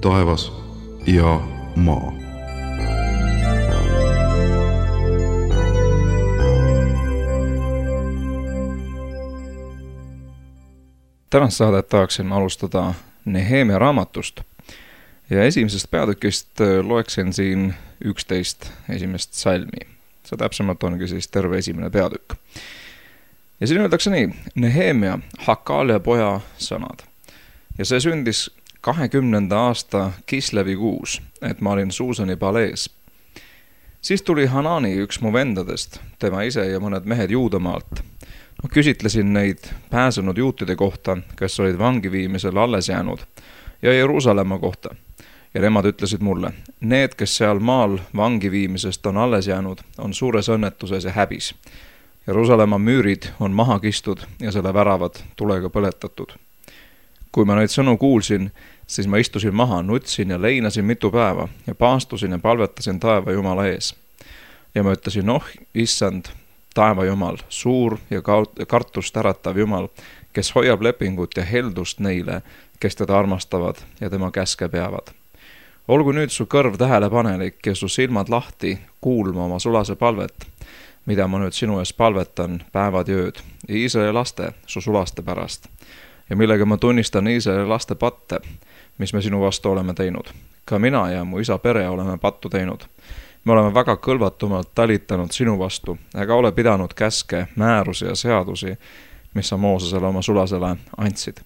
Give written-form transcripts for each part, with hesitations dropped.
taevas ja maa. Tänast saadet tahaksin alustada Nehemia raamatust ja esimesest peatükist loeksin siin 11 esimest salmi. See täpsemalt ongi siis terve esimene peatükk. Ja siin öeldakse nii: Nehemia, Hakalia poja sõnad. Ja see sündis 20. aasta Kislevi kuus, et ma olin Suusani palees. Siis tuli Hanani, üks mu vendadest, tema ise ja mõned mehed Juudamaalt. Küsitlesin neid pääsenud juutide kohta, kes olid vangiviimisel alles jäänud, ja Jeruusalemma kohta. Ja nemad ütlesid mulle: need, kes seal maal vangiviimisest on alles jäänud, on suures õnnetuses ja häbis. Jeruusalemma müürid on maha kistud ja selle väravad tulega põletatud. Kui ma neid sõnu kuulsin, siis ma istusin maha, nutsin ja leinasin mitu päeva ja paastusin ja palvetasin taeva Jumala ees. Ja ma ütlesin: issand, taeva Jumal, suur ja kartust äratav Jumal, kes hoiab lepingut ja heldust neile, kes teda armastavad ja tema käske peavad. Olgu nüüd su kõrv tähelepanelik ja su silmad lahti kuulma oma sulase palvet, mida ma nüüd sinu ees palvetan päevad ja ööd, Iisraeli laste, su sulaste pärast, ja millega ma tunnistan Iisraeli laste patte, mis me sinu vastu oleme teinud. Ka mina ja mu isa pere oleme pattu teinud. Me oleme väga kõlvatumalt talitanud sinu vastu, ega ole pidanud käske, määrusi ja seadusi, mis sa Moosesele oma sulasele andsid.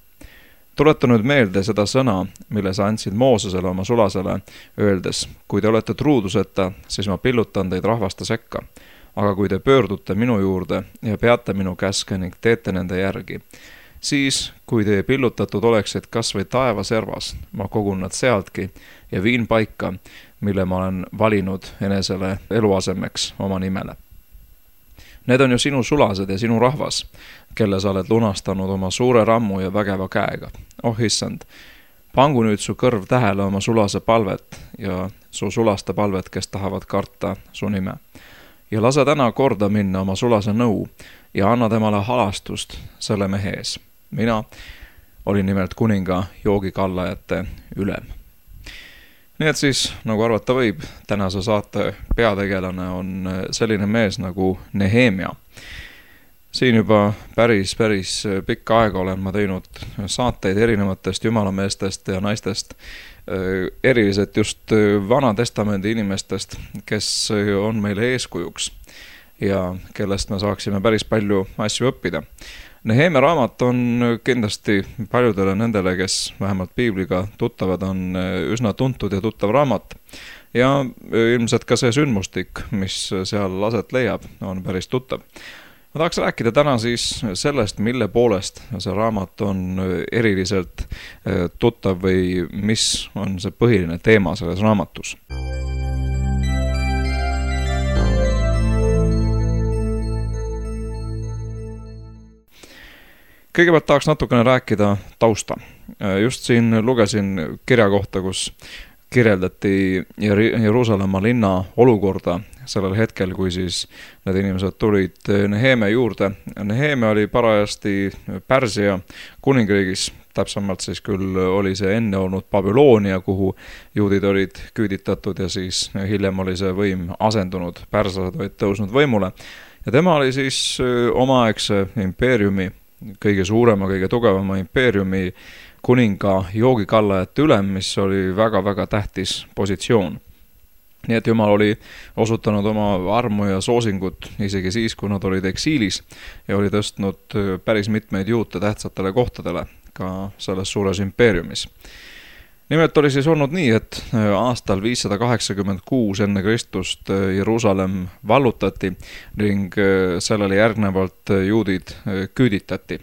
Tuleta nüüd meelde seda sõna, mille sa andsid Moosesele oma sulasele, öeldes: kui te olete truuduseta, siis ma pillutan teid rahvaste sekka. Aga kui te pöördute minu juurde ja peate minu käske ning teete nende järgi, siis, kui te pillutatud oleksid kas või taevaservas, ma kogun nad sealtki ja viin paika, mille ma olen valinud enesele eluasemeks oma nimele. Need on ju sinu sulased ja sinu rahvas, kelle sa oled lunastanud oma suure rammu ja vägeva käega. Issand, pangu nüüd su kõrv tähele oma sulase palvet ja su sulaste palvet, kes tahavad karta su nime. Ja lase täna korda minna oma sulase nõu ja anna temale halastust selle mehe ees. Mina olin nimelt kuninga joogikallajate ülem. Nii et siis, nagu arvata võib, tänase saate peategelane on selline mees nagu Nehemia. Siin juba päris pikka aega olen ma teinud saateid erinevatest jumalameestest ja naistest, eriliselt just Vana Testamendi inimestest, kes on meile eeskujuks ja kellest me saaksime päris palju asju õppida. Nehemia raamat on kindlasti paljudele nendele, kes vähemalt piibliga tuttavad, on üsna tuntud ja tuttav raamat. Ja ilmselt ka see sündmustik, mis seal aset leiab, on päris tuttav. Ma tahaks rääkida täna siis sellest, mille poolest see raamat on eriliselt tuttav või mis on see põhiline teema selles raamatus. Kõigepealt tahaks natukene rääkida tausta. Just siin lugesin kirja kohta, kus kirjeldati Jeruusalemma linna olukorda sellel hetkel, kui siis need inimesed tulid Nehemia juurde. Nehemia oli parajasti Pärsia kuningriigis, täpsemalt siis küll oli see enne olnud Babyloonia, kuhu juudid olid küüditatud ja siis hiljem oli see võim asendunud, pärslased olid tõusnud võimule. Ja tema oli siis omaaegse impeeriumi, kõige suurema, kõige tugevama impeeriumi kuninga joogikallajate ülem, mis oli väga tähtis positsioon. Nii et Jumal oli osutanud oma armu ja soosingut isegi siis, kui nad olid eksiilis ja oli tõstnud päris mitmeid juute tähtsatele kohtadele ka selles suures impeeriumis. Nimelt oli siis olnud nii, et aastal 586 enne Kristust Jeruusalemm vallutati ning sellele järgnevalt juudid küüditati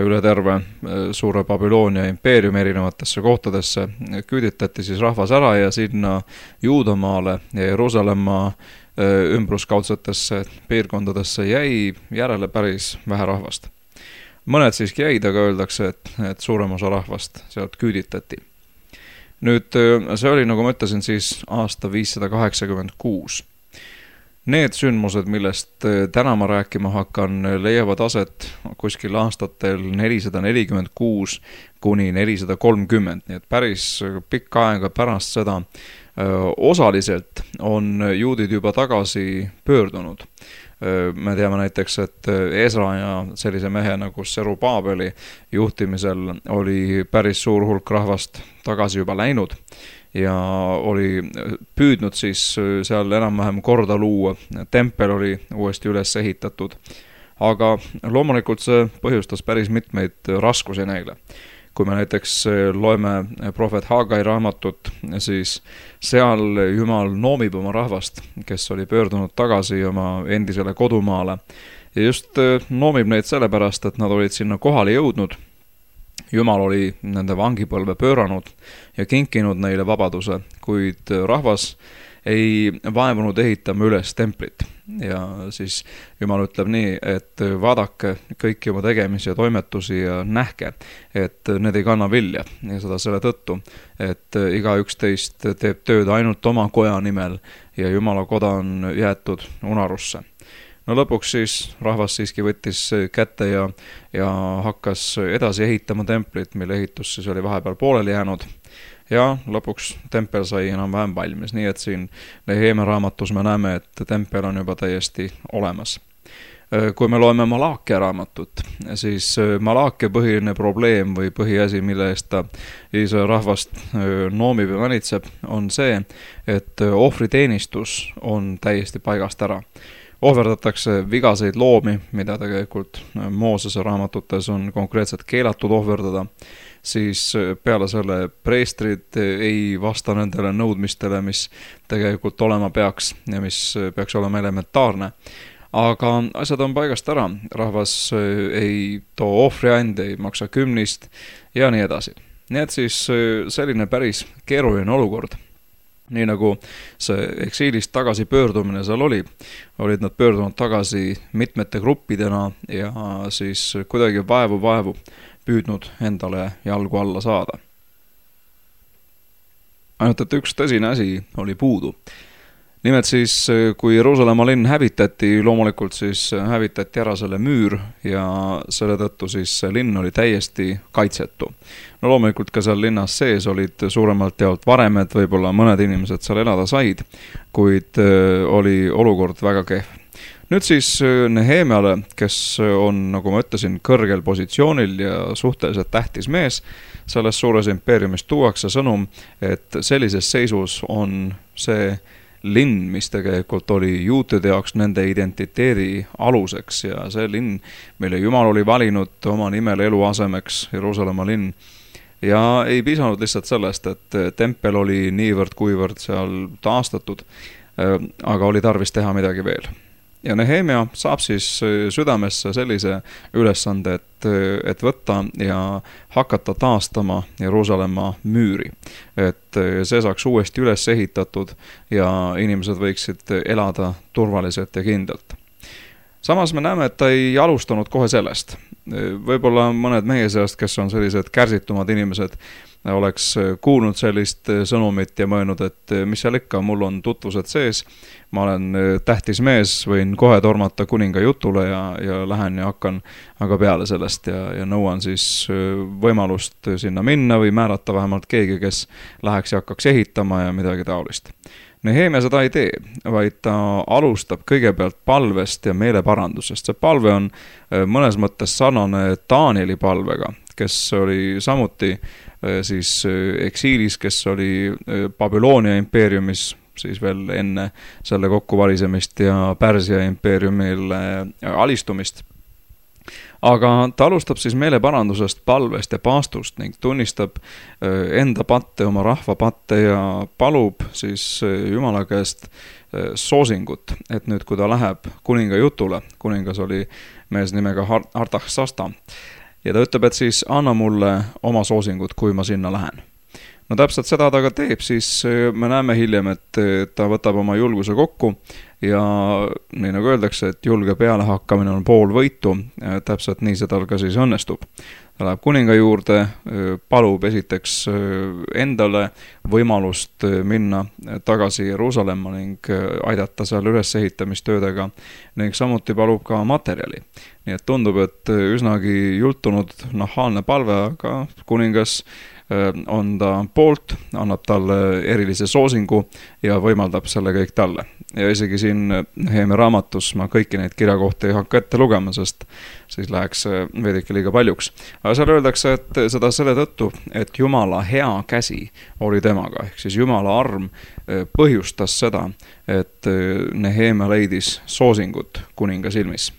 üle terve suure Babyloonia impeeriumi erinevatesse kohtadesse. Küüditati siis rahvas ära ja sinna Juudamaale ja Jeruusalemma ümbruskaudsetesse piirkondadesse jäi järele päris vähe rahvast. Mõned siiski jäid, aga öeldakse, et suurem osa rahvast sealt küüditati. Nüüd see oli, nagu ma ütlesin, siis aasta 586. Need sündmused, millest täna ma rääkima hakkan, leiavad aset kuskil aastatel 446 kuni 430, nii et päris pikka aega pärast seda osaliselt on juudid juba tagasi pöördunud. Me teame näiteks, et Ezra ja sellise mehe nagu Serubaabeli juhtimisel oli päris suur hulk rahvast tagasi juba läinud ja oli püüdnud siis seal enam-vähem korda luua. Tempel oli uuesti üles ehitatud, aga loomulikult see põhjustas päris mitmeid raskusi neile. Kui me näiteks loeme prohvet Hagai raamatut, siis seal Jumal noomib oma rahvast, kes oli pöördunud tagasi oma endisele kodumaale. Ja just noomib neid sellepärast, et nad olid sinna kohale jõudnud. Jumal oli nende vangipõlve pööranud ja kinkinud neile vabaduse, kuid rahvas ei vaevunud ehitama üles templit. Ja siis Jumal ütleb nii, et vaadake kõiki oma tegemisi ja toimetusi ja nähke, et need ei kanna vilja. Ja seda selle tõttu, et igaüks teist teeb tööd ainult oma koja nimel ja Jumala koda on jäetud unarusse. No lõpuks siis rahvas siiski võttis kätte ja hakkas edasi ehitama templit, mille ehitus siis oli vahepeal pooleli jäänud. Ja lõpuks tempel sai enam-vähem valmis, nii et siin Nehemia raamatus me näeme, et tempel on juba täiesti olemas. Kui me loeme Malaakia raamatut, siis Malaakia põhiline probleem või põhiasi, mille eest ta Iisraeli rahvast noomib ja manitseb, on see, et ohvriteenistus on täiesti paigast ära. Ohverdatakse vigaseid loomi, mida tegelikult Moosese raamatutes on konkreetselt keelatud ohverdada, siis peale selle preestrid ei vasta nendele nõudmistele, mis tegelikult olema peaks ja mis peaks olema elementaarne. Aga asjad on paigast ära, rahvas ei too ohvriande, ei maksa kümnist ja nii edasi. Nii et siis selline päris keeruline olukord. Nii nagu see eksiilist tagasi pöördumine seal olid nad pöördunud tagasi mitmete gruppidena ja siis kuidagi vaevu püüdnud endale jalgu alla saada. Ainult, et üks tõsine asi oli puudu. Nimelt siis, kui Jeruusalemma linn hävitati, loomulikult siis hävitati ära selle müür ja selle tõttu siis see linn oli täiesti kaitsetu. No loomulikult ka seal linnas sees olid suuremalt jaolt varemed, võib-olla mõned inimesed seal elada said, kuid oli olukord väga kehv. Nüüd siis Nehemiale, kes on, nagu ma ütlesin, kõrgel positsioonil ja suhteliselt tähtis mees, selles suures impeeriumis tuuakse sõnum, et sellises seisus on see linn, mis tegelikult oli juutide jaoks nende identiteedi aluseks ja see linn, mille Jumal oli valinud oma nimel eluasemeks, Jeruusalemma linn. Ja ei piisanud lihtsalt sellest, et tempel oli niivõrd kuivõrd seal taastatud, aga oli tarvis teha midagi veel. Ja Nehemia saab siis südamesse sellise ülesande, et võtta ja hakata taastama Jeruusalemma müüri. Et see saaks uuesti üles ehitatud ja inimesed võiksid elada turvaliselt ja kindlalt. Samas me näeme, et ta ei alustanud kohe sellest. Võib-olla mõned meie seast, kes on sellised kärsitumad inimesed, oleks kuulnud sellist sõnumit ja mõelnud, et mis seal ikka, mul on tutvused sees, ma olen tähtis mees, võin kohe tormata kuninga jutule ja lähen ja hakkan aga peale sellest ja nõuan siis võimalust sinna minna või määrata vähemalt keegi, kes läheks ja hakkaks ehitama ja midagi taolist. Nehemia seda ei tee, vaid ta alustab kõigepealt palvest ja meeleparandusest. See palve on mõnes mõttes sarnane Danieli palvega, kes oli samuti siis eksiilis, kes oli Babyloonia impeeriumis siis veel enne selle kokkuvalisemist ja Pärsia impeeriumile alistumist. Aga ta alustab siis meeleparandusest, palvest ja paastust ning tunnistab enda patte, oma rahva patte ja palub siis Jumala käest soosingut, et nüüd kui ta läheb kuninga jutule, kuningas oli mees nimega Artaxasta, ja ta ütleb, et siis anna mulle oma soosingut, kui ma sinna lähen. No täpselt seda ta ka teeb, siis me näeme hiljem, et ta võtab oma julguse kokku ja nii nagu öeldakse, et julge pealehakkamine on pool võitu, täpselt nii see tal ka siis õnnestub. Ta läheb kuninga juurde, palub esiteks endale võimalust minna tagasi Jeruusalemma ning aidata seal ülesehitamistöödega ning samuti palub ka materjali. Nii et tundub, et üsnagi jultunud nahaalne palve, aga kuningas on ta poolt, annab talle erilise soosingu ja võimaldab selle kõik talle. Ja isegi siin Nehemia raamatus ma kõiki neid kirjakohti ei hakka ette lugema, sest siis läheks veidike liiga paljuks. Aga seal öeldakse, et seda selle tõttu, et Jumala hea käsi oli temaga, ehk siis Jumala arm põhjustas seda, et Nehemia leidis soosingut kuninga silmis.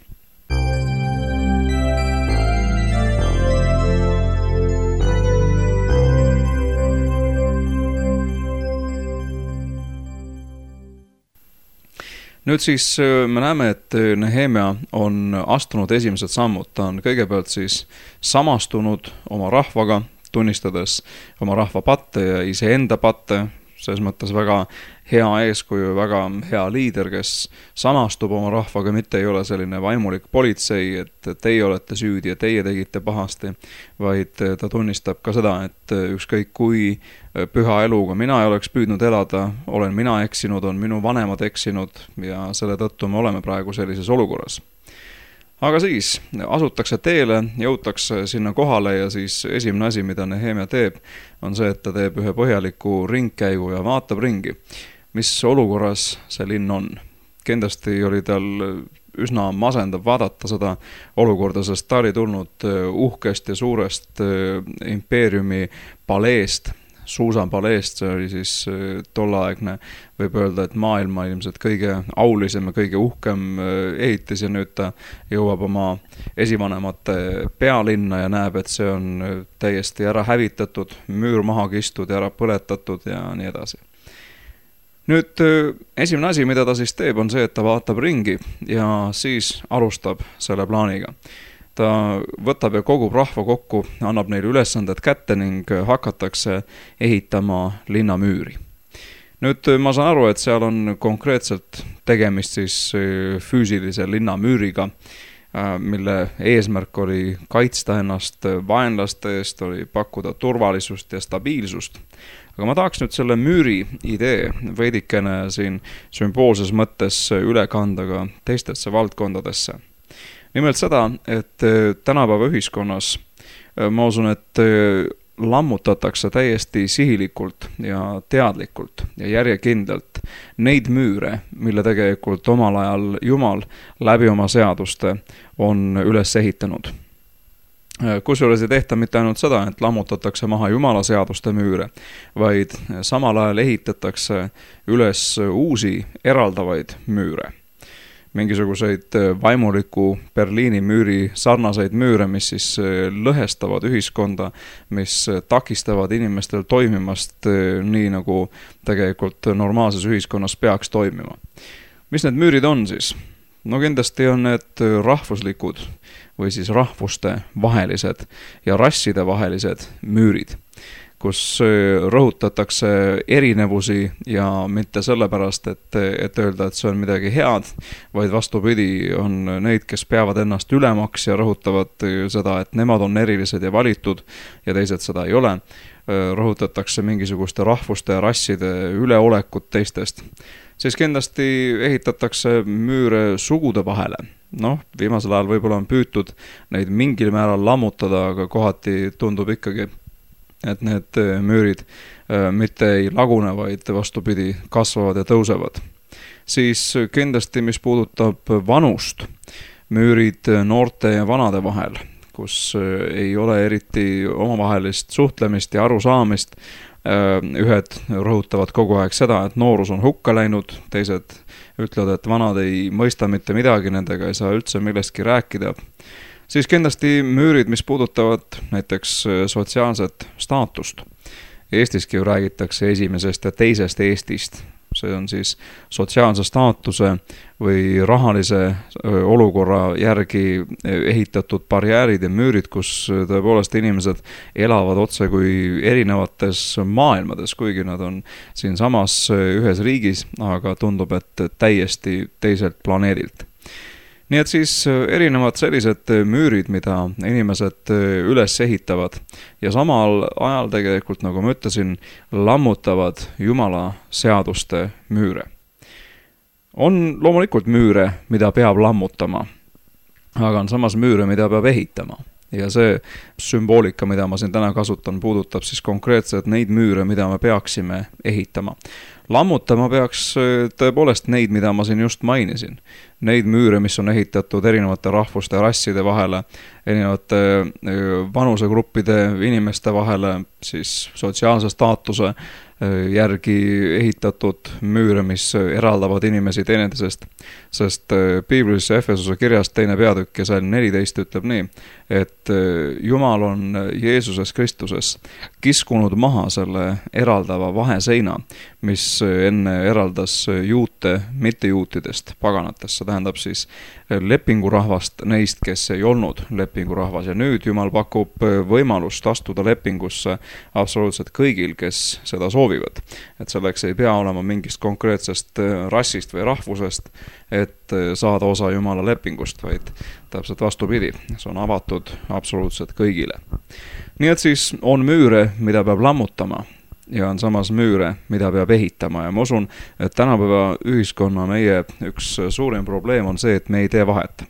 Nüüd siis me näeme, et Nehemia on astunud esimesed sammud. Ta on kõigepealt siis samastunud oma rahvaga, tunnistades oma rahva patte ja iseenda patte, selles mõttes väga hea eeskuju, väga hea liider, kes samastub oma rahvaga, mitte ei ole selline vaimulik politsei, et teie olete süüdi ja teie tegite pahasti, vaid ta tunnistab ka seda, et ükskõik kui püha eluga mina ei oleks püüdnud elada, olen mina eksinud, on minu vanemad eksinud ja selle tõttu me oleme praegu sellises olukorras. Aga siis asutakse teele, jõutakse sinna kohale ja siis esimene asi, mida Nehemia teeb, on see, et ta teeb ühe põhjaliku ringkäigu ja vaatab ringi, mis olukorras see linn on. Kindlasti oli tal üsna masendav vaadata seda olukorda, sest ta oli tulnud uhkest ja suurest impeeriumi paleest, Suusan paleest, see oli siis tolleaegne, võib öelda, et maailma ilmselt kõige aulisem ja kõige uhkem ehitis ja nüüd ta jõuab oma esivanemate pealinna ja näeb, et see on täiesti ära hävitatud, müür maha kistud ja ära põletatud ja nii edasi. Nüüd esimene asi, mida ta siis teeb, on see, et ta vaatab ringi ja siis alustab selle plaaniga. Ta võtab ja kogub rahva kokku, annab neile ülesanded kätte ning hakatakse ehitama linnamüüri. Nüüd ma saan aru, et seal on konkreetselt tegemist siis füüsilise linnamüüriga, mille eesmärk oli kaitsta ennast vaenlaste eest, oli pakkuda turvalisust ja stabiilsust. Aga ma tahaks nüüd selle müüri idee veidikene siin sümboolses mõttes üle kanda ka teistesse valdkondadesse. Nimelt seda, et tänapäeva ühiskonnas ma usun, et lammutatakse täiesti sihilikult ja teadlikult ja järjekindlalt neid müüre, mille tegelikult omal ajal Jumal läbi oma seaduste on üles ehitanud. Kusjuures ei tehta mitte ainult seda, et lammutatakse maha Jumala seaduste müüre, vaid samal ajal ehitatakse üles uusi eraldavaid müüre. Mingisuguseid vaimuliku Berliini müüri sarnaseid müüre, mis siis lõhestavad ühiskonda, mis takistavad inimestel toimimast nii, nagu tegelikult normaalses ühiskonnas peaks toimima. Mis need müürid on siis? No kindlasti on need rahvuslikud või siis rahvuste vahelised ja rasside vahelised müürid, kus rõhutatakse erinevusi ja mitte sellepärast, et öelda, et see on midagi head, vaid vastupidi, on neid, kes peavad ennast ülemaks ja rõhutavad seda, et nemad on erilised ja valitud ja teised seda ei ole. Rõhutatakse mingisuguste rahvuste ja rasside üleolekut teistest. Siis kindlasti ehitatakse müüre sugude vahele. Viimasel ajal võib-olla on püütud neid mingil määral lammutada, aga kohati tundub ikkagi, et need müürid mitte ei lagune, vaid vastupidi kasvavad ja tõusevad. Siis kindlasti, mis puudutab vanust, müürid noorte ja vanade vahel, kus ei ole eriti omavahelist suhtlemist ja arusaamist. Ühed rõhutavad kogu aeg seda, et noorus on hukka läinud, teised ütlevad, et vanad ei mõista mitte midagi, nendega ei saa üldse millestki rääkida. Siis kindlasti müürid, mis puudutavad näiteks sotsiaalset staatust. Eestiski ju räägitakse esimesest ja teisest Eestist. see on siis sotsiaalse staatuse või rahalise olukorra järgi ehitatud barjäärid ja müürid, kus tõepoolest inimesed elavad otse kui erinevates maailmades, kuigi nad on siinsamas ühes riigis, aga tundub, et täiesti teiselt planeedilt. Nii et siis erinevad sellised müürid, mida inimesed üles ehitavad ja samal ajal tegelikult, nagu ma ütlesin, lammutavad Jumala seaduste müüre. On loomulikult müüre, mida peab lammutama, aga on samas müüre, mida peab ehitama. Ja see sümboolika, mida ma siin täna kasutan, puudutab siis konkreetselt neid müüre, mida me peaksime ehitama. Lammutama peaks tõepoolest neid, mida ma siin just mainisin. Neid müüre, mis on ehitatud erinevate rahvuste ja rasside vahele, erinevate vanusegruppide inimeste vahele, siis sotsiaalse staatuse järgi ehitatud müüre, mis eraldavad inimesi teineteisest. Sest Piiblis Efesuse kirjas 2. peatükk ja salm 14 ütleb nii, et Jumal on Jeesuses Kristuses kiskunud maha selle eraldava vaheseina, mis enne eraldas juute mittejuutidest paganatest. See tähendab siis lepingurahvast neist, kes ei olnud lepingurahvas. Ja nüüd Jumal pakub võimalust astuda lepingusse absoluutselt kõigil, kes seda soovivad. Et selleks ei pea olema mingist konkreetsest rassist või rahvusest, et saada osa Jumala lepingust, vaid täpselt vastupidi, see on avatud absoluutselt kõigile. Nii et siis on müüre, mida peab lammutama ja on samas müüre, mida peab ehitama ja ma usun, et tänapäeva ühiskonna meie üks suurim probleem on see, et me ei tee vahet.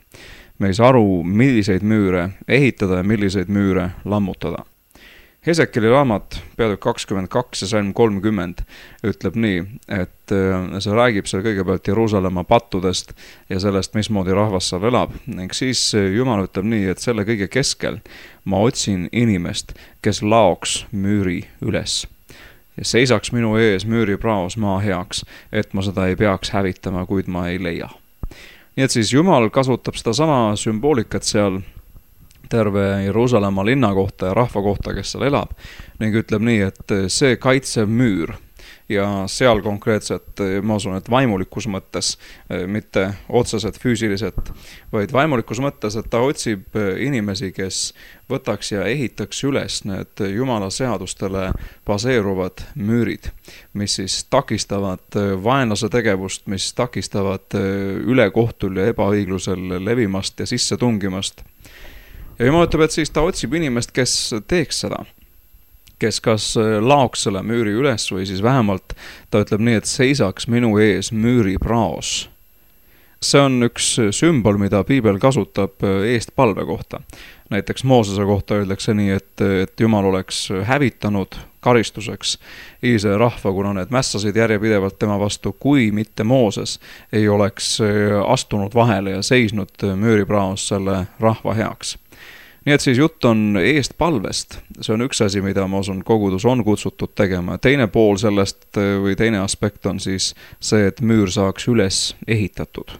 Me ei saa aru, milliseid müüre ehitada ja milliseid müüre lammutada. Hesekeli raamat, peatükk 22 ja salm 30 ütleb nii, et see räägib seal kõigepealt Jeruusalemma pattudest ja sellest, mismoodi rahvas seal elab. Ning siis Jumal ütleb nii, et selle kõige keskel ma otsin inimest, kes laoks müüri üles. Ja seisaks minu ees müüri praos maa heaks, et ma seda ei peaks hävitama, kuid ma ei leia. Nii et siis Jumal kasutab seda sama sümboolikat seal terve Jeruusalemma linna kohta ja rahva kohta, kes seal elab, ning ütleb nii, et see kaitsev müür ja seal konkreetselt, ma usun, et vaimulikus mõttes, mitte otseselt füüsiliselt, vaid vaimulikus mõttes, et ta otsib inimesi, kes võtaks ja ehitaks üles need Jumala seadustele baseeruvad müürid, mis siis takistavad vaenlase tegevust, mis takistavad ülekohtul ja ebaõiglusel levimast ja sisse tungimast. Ja Jumal ütleb, et siis ta otsib inimest, kes teeks seda, kes kas laoks selle müüri üles või siis vähemalt ta ütleb nii, et seisaks minu ees müüri praos. See on üks sümbol, mida Piibel kasutab eestpalve kohta. Näiteks Moosese kohta öeldakse nii, et Jumal oleks hävitanud karistuseks Iisraeli rahva, kuna need mässasid järjepidevalt tema vastu, kui mitte Mooses ei oleks astunud vahele ja seisnud müüripraos selle rahva heaks. Nii et siis jutt on eestpalvest. See on üks asi, mida ma usun kogudus on kutsutud tegema. Teine pool sellest või teine aspekt on siis see, et müür saaks üles ehitatud.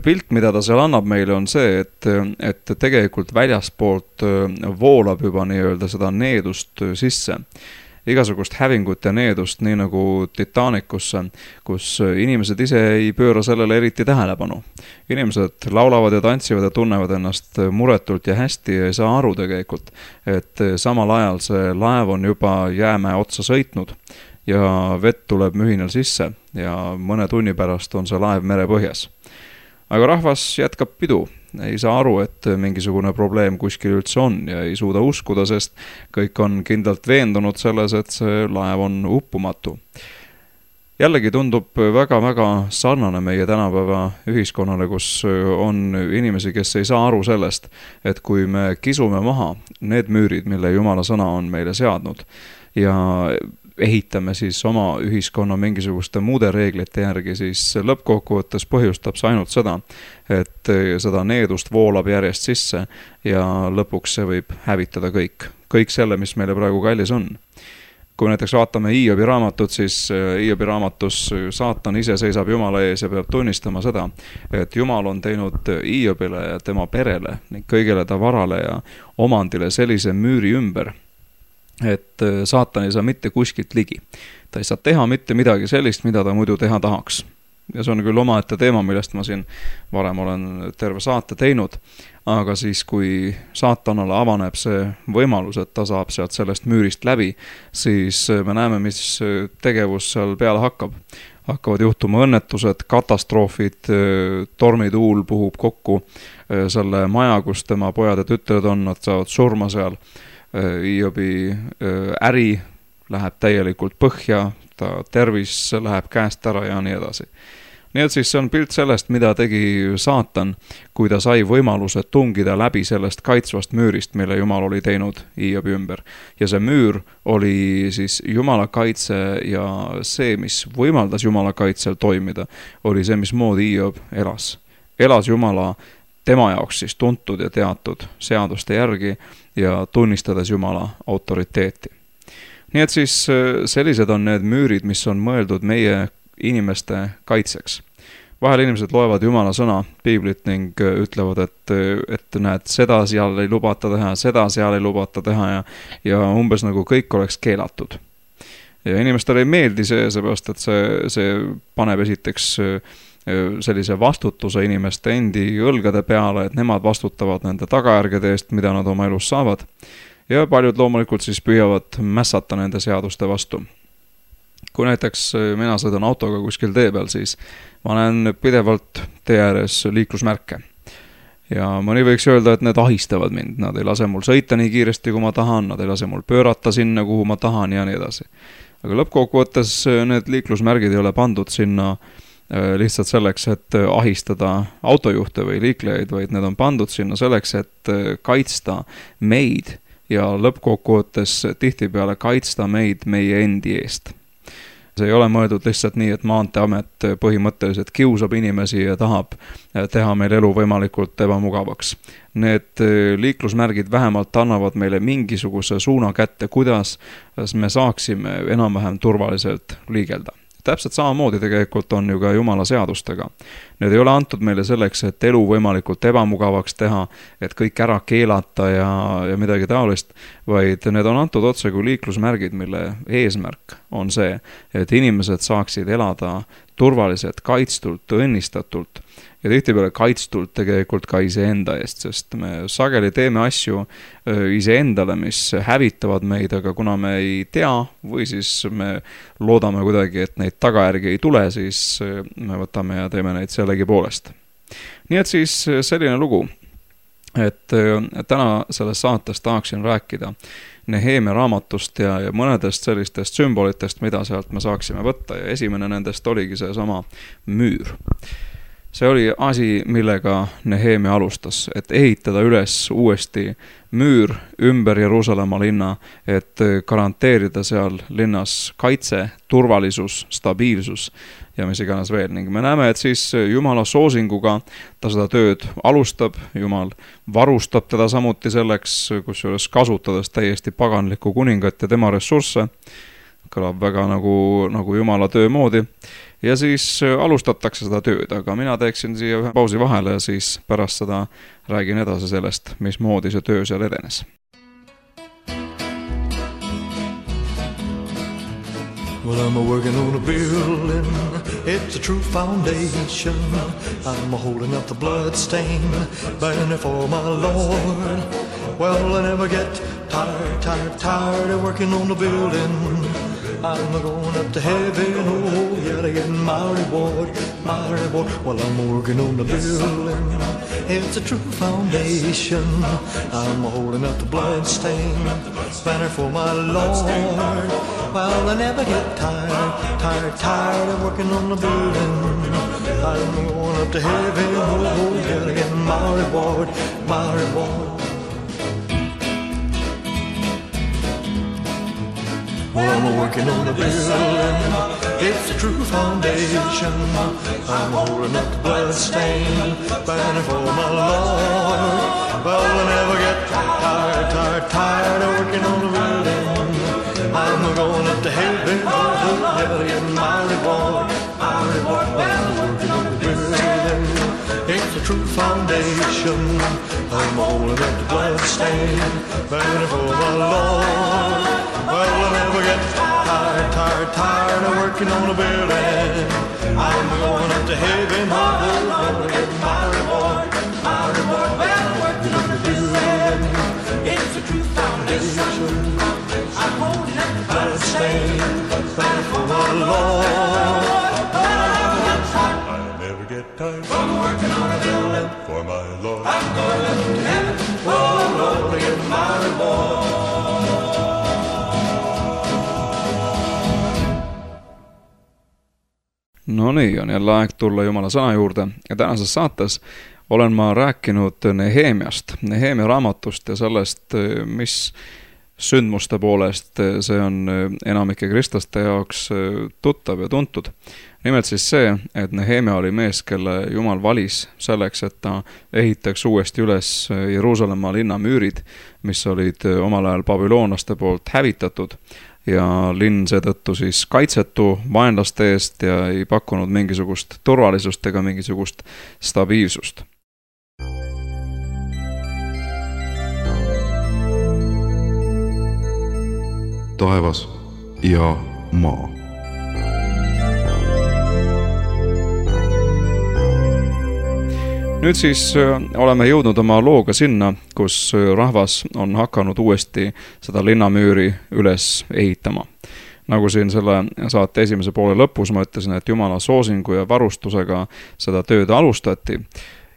Pilt, mida ta seal annab meile, on see, et tegelikult väljaspoolt voolab juba nii-öelda seda needust sisse. Igasugust hävingut ja needust, nii nagu Titaanicusse, kus inimesed ise ei pööra sellele eriti tähelepanu. Inimesed laulavad ja tantsivad ja tunnevad ennast muretult ja hästi ja ei saa aru tegelikult, et samal ajal see laev on juba jäämäe otsa sõitnud ja vett tuleb mühinal sisse ja mõne tunni pärast on see laev merepõhjas. Aga rahvas jätkab pidu, ei saa aru, et mingisugune probleem kuskil üldse on ja ei suuda uskuda, sest kõik on kindlalt veendunud selles, et see laev on uppumatu. Jällegi tundub väga-väga sarnane meie tänapäeva ühiskonnale, kus on inimesi, kes ei saa aru sellest, et kui me kisume maha need müürid, mille Jumala sõna on meile seadnud ja ehitame siis oma ühiskonna mingisuguste muude reeglite järgi, siis lõppkokkuvõttes põhjustab see ainult seda, et seda needust voolab järjest sisse ja lõpuks see võib hävitada kõik selle, mis meile praegu kallis on. Kui näiteks vaatame Hiobi raamatut, siis Hiobi raamatus saatan ise seisab Jumala ees ja peab tunnistama seda, et Jumal on teinud Hiobile ja tema perele ning kõigele ta varale ja omandile sellise müüri ümber, et saatan ei saa mitte kuskilt ligi. Ta ei saa teha mitte midagi sellist, mida ta muidu teha tahaks. Ja see on küll omaette teema, millest ma siin varem olen terve saate teinud, aga siis kui saatanale avaneb see võimalus, et ta saab sealt sellest müürist läbi, siis me näeme, mis tegevus seal peale hakkab. Hakkavad juhtuma õnnetused, katastroofid, tormituul puhub kokku selle maja, kus tema pojad ja tütred on, nad saavad surma seal. Hiobi äri läheb täielikult põhja, ta tervis läheb käest ära ja nii edasi. Nii et siis see on pilt sellest, mida tegi saatan, kui ta sai võimaluse tungida läbi sellest kaitsvast müürist, mille Jumal oli teinud Hiobi ümber. Ja see müür oli siis Jumala kaitse ja see, mis võimaldas Jumala kaitsel toimida, oli see, mismoodi Hiob elas. Elas Jumala tema jaoks siis tuntud ja teatud seaduste järgi ja tunnistades Jumala autoriteeti. Nii et siis sellised on need müürid, mis on mõeldud meie inimeste kaitseks. Vahel inimesed loevad Jumala sõna, piiblit ning ütlevad, et näed, seda seal ei lubata teha, seda seal ei lubata teha ja umbes nagu kõik oleks keelatud. Ja inimestele ei meeldi see, seepärast, et see paneb esiteks sellise vastutuse inimeste endi õlgade peale, et nemad vastutavad nende tagajärgede eest, mida nad oma elus saavad. Ja paljud loomulikult siis püüavad mässata nende seaduste vastu. Kui näiteks mina sõidan autoga kuskil tee peal, siis ma näen pidevalt tee ääres liiklusmärke. Ja mõni võiks öelda, et need ahistavad mind. Nad ei lase mul sõita nii kiiresti, kui ma tahan, nad ei lase mul pöörata sinna, kuhu ma tahan ja nii edasi. Aga lõppkokkuvõttes need liiklusmärgid ei ole pandud sinna lihtsalt selleks, et ahistada autojuhte või liiklejaid, vaid need on pandud sinna selleks, et kaitsta meid ja lõppkokkuvõttes tihtipeale kaitsta meid meie endi eest. See ei ole mõeldud lihtsalt nii, et Maanteeamet põhimõtteliselt kiusab inimesi ja tahab teha meil elu võimalikult ebamugavaks. Need liiklusmärgid vähemalt annavad meile mingisuguse suuna kätte, kuidas me saaksime enam-vähem turvaliselt liigelda. Täpselt samamoodi tegelikult on ju ka Jumala seadustega. Need ei ole antud meile selleks, et elu võimalikult ebamugavaks teha, et kõik ära keelata ja midagi taolist, vaid need on antud otse kui liiklusmärgid, mille eesmärk on see, et inimesed saaksid elada turvaliselt, kaitstult, õnnistatult ja tihtipeale kaitstult tegelikult ka iseenda eest, sest me sageli teeme asju iseendale, mis hävitavad meid, aga kuna me ei tea või siis me loodame kuidagi, et neid tagajärgi ei tule, siis me võtame ja teeme neid sellegi poolest. Nii et siis selline lugu, et täna selles saates tahaksin rääkida Neheemia raamatust ja mõnedest sellistest sümbolitest, mida sealt me saaksime võtta ja esimene nendest oligi see sama müür. See oli asi, millega Neheemia alustas, et ehitada üles uuesti müür ümber Jeruusalemma linna, et garanteerida seal linnas kaitse, turvalisus, stabiilsus ja mis iganes veel. Ning me näeme, et siis Jumala soosinguga ta seda tööd alustab, Jumal varustab teda samuti selleks, kusjuures kasutades täiesti paganlikku kuningat ja tema ressursse, kõlab väga nagu Jumala töö moodi. Ja siis alustatakse seda tööd, aga mina teeksin siia ühe pausi vahele ja siis pärast seda räägin edasi sellest, mismoodi see töö seal edenes. Well, I'm working on a building, it's a true foundation. I'm holding up the blood stain, burning for my Lord. Well, I never get tired of working on the building. I'm going up to heaven, oh, yeah, to get my reward. Well, I'm working on the building, it's a true foundation. I'm holding up the blood stain, banner for my Lord. Well, I never get tired of working on the building. I'm going up to heaven, oh, yeah, to get my reward. Well, I'm working on the building, it's a true foundation. I'm holding up the blood stain, banner for my Lord. Well, I never get tired of working on the building. I'm going up to heaven, oh, yeah, to get my reward. Well, I'm working on the building, it's a true foundation. I'm holding up the blood stain, burning for my Lord. Well, I'll never get tired of working on a building. I'm going up to heaven, I'll get my reward. Well, working on the building, it's a true foundation. I'm holding up the blood stain, burning for my Lord. I'll never get tired from working on a building for my Lord. I'm going up to heaven, oh Lord, to get my reward. No nii, on jälle aeg tulla Jumala sõna juurde ja tänases saates olen ma rääkinud Nehemiast, Nehemia raamatust ja sellest, mis sündmuste poolest see on enamike kristlaste jaoks tuttav ja tuntud. Nimelt siis see, et Nehemia oli mees, kelle Jumal valis selleks, et ta ehitaks uuesti üles Jeruusalemma linna müürid, mis olid omal ajal babüloonlaste poolt hävitatud ja linn seetõttu siis kaitsetu vaenlaste eest ja ei pakkunud mingisugust turvalisust ega mingisugust stabiilsust. Taevas ja maa. Nüüd siis oleme jõudnud oma looga sinna, kus rahvas on hakanud uuesti seda linnamüüri üles ehitama. Nagu siin selle saate esimese poole lõpus ma ütlesin, et Jumala soosingu ja varustusega seda tööd alustati.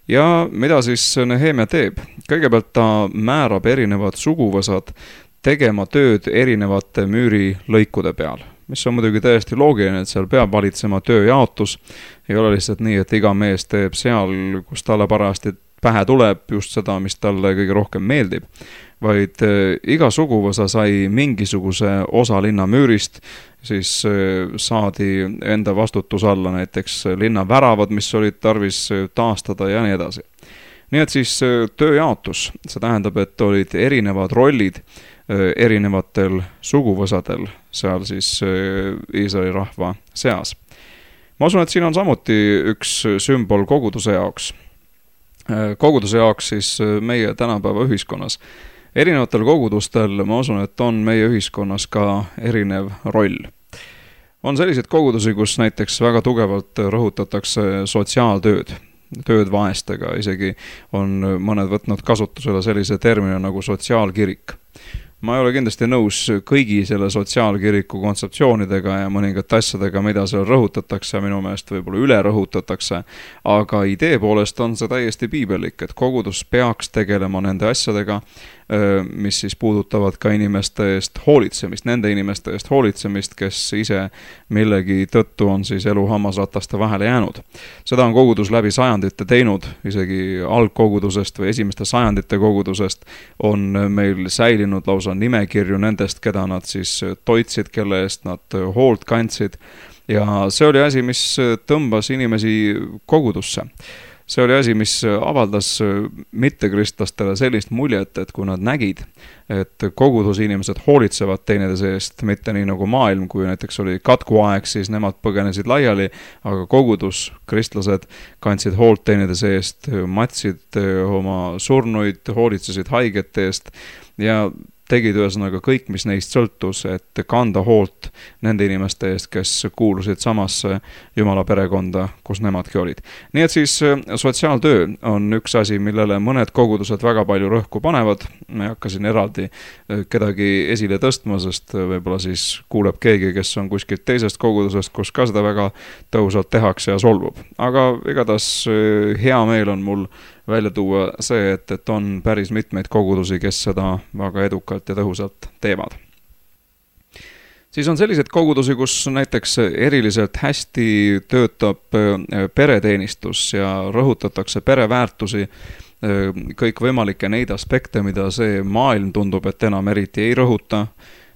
Ja mida siis Nehemia teeb? Kõigepealt ta määrab erinevad suguvõsad tegema tööd erinevate müüri lõikude peal, mis on muidugi täiesti loogiline, et seal peab valitsema tööjaotus. Ei ole lihtsalt nii, et iga mees teeb seal, kus talle parajasti pähe tuleb just seda, mis talle kõige rohkem meeldib, vaid iga suguvõsa sai mingisuguse osa linna müürist, siis saadi enda vastutus alla näiteks linna väravad, mis olid tarvis taastada ja nii edasi. Nii et siis tööjaotus, see tähendab, et olid erinevad rollid erinevatel suguvõsadel seal siis Iisraeli rahva seas. Ma usun, et siin on samuti üks sümbol koguduse jaoks. Koguduse jaoks siis meie tänapäeva ühiskonnas. Erinevatel kogudustel ma usun, et on meie ühiskonnas ka erinev roll. On sellised kogudusi, kus näiteks väga tugevalt rõhutatakse sotsiaaltööd, tööd vaestega, isegi on mõned võtnud kasutusele sellise termini nagu sotsiaalkirik. Ma ei ole kindlasti nõus kõigi selle sotsiaalkiriku kontseptsioonidega ja mõningate asjadega, mida seal rõhutatakse ja minu meelest võib-olla üle rõhutatakse, aga idee poolest on see täiesti piibellik, et kogudus peaks tegelema nende asjadega, mis siis puudutavad ka inimeste eest hoolitsemist, nende inimeste eest hoolitsemist, kes ise millegi tõttu on siis elu hammasrataste vahele jäänud. Seda on kogudus läbi sajandite teinud, isegi algkogudusest või esimeste sajandite kogudusest on meil säilinud lausa nimekirju nendest, keda nad siis toitsid, kelle eest nad hoolt kandsid ja see oli asi, mis tõmbas inimesi kogudusse. See oli asi, mis avaldas mittekristlastele sellist muljet, et kui nad nägid, et koguduse inimesed hoolitsevad teineteise eest, mitte nii nagu maailm, kui näiteks oli katkuaeg, siis nemad põgenesid laiali, aga kogudus, kristlased kandsid hoolt teineteise eest, matsid oma surnuid, hoolitsesid haigete eest ja tegid ühesõnaga kõik, mis neist sõltus, et kanda hoolt nende inimeste eest, kes kuulusid samasse Jumala perekonda, kus nemadki olid. Nii et siis sotsiaaltöö on üks asi, millele mõned kogudused väga palju rõhku panevad. Ma hakkasin eraldi kedagi esile tõstma, sest võib-olla siis kuuleb keegi, kes on kuskilt teisest kogudusest, kus ka seda väga tõhusalt tehakse ja solvub. Aga igatahes hea meel on mul välja tuua see, et on päris mitmeid kogudusi, kes seda väga edukalt ja tõhusalt teevad. Siis on sellised kogudusi, kus näiteks eriliselt hästi töötab pereteenistus ja rõhutatakse pereväärtusi, kõik võimalikke neid aspekte, mida see maailm tundub, et enam eriti ei rõhuta.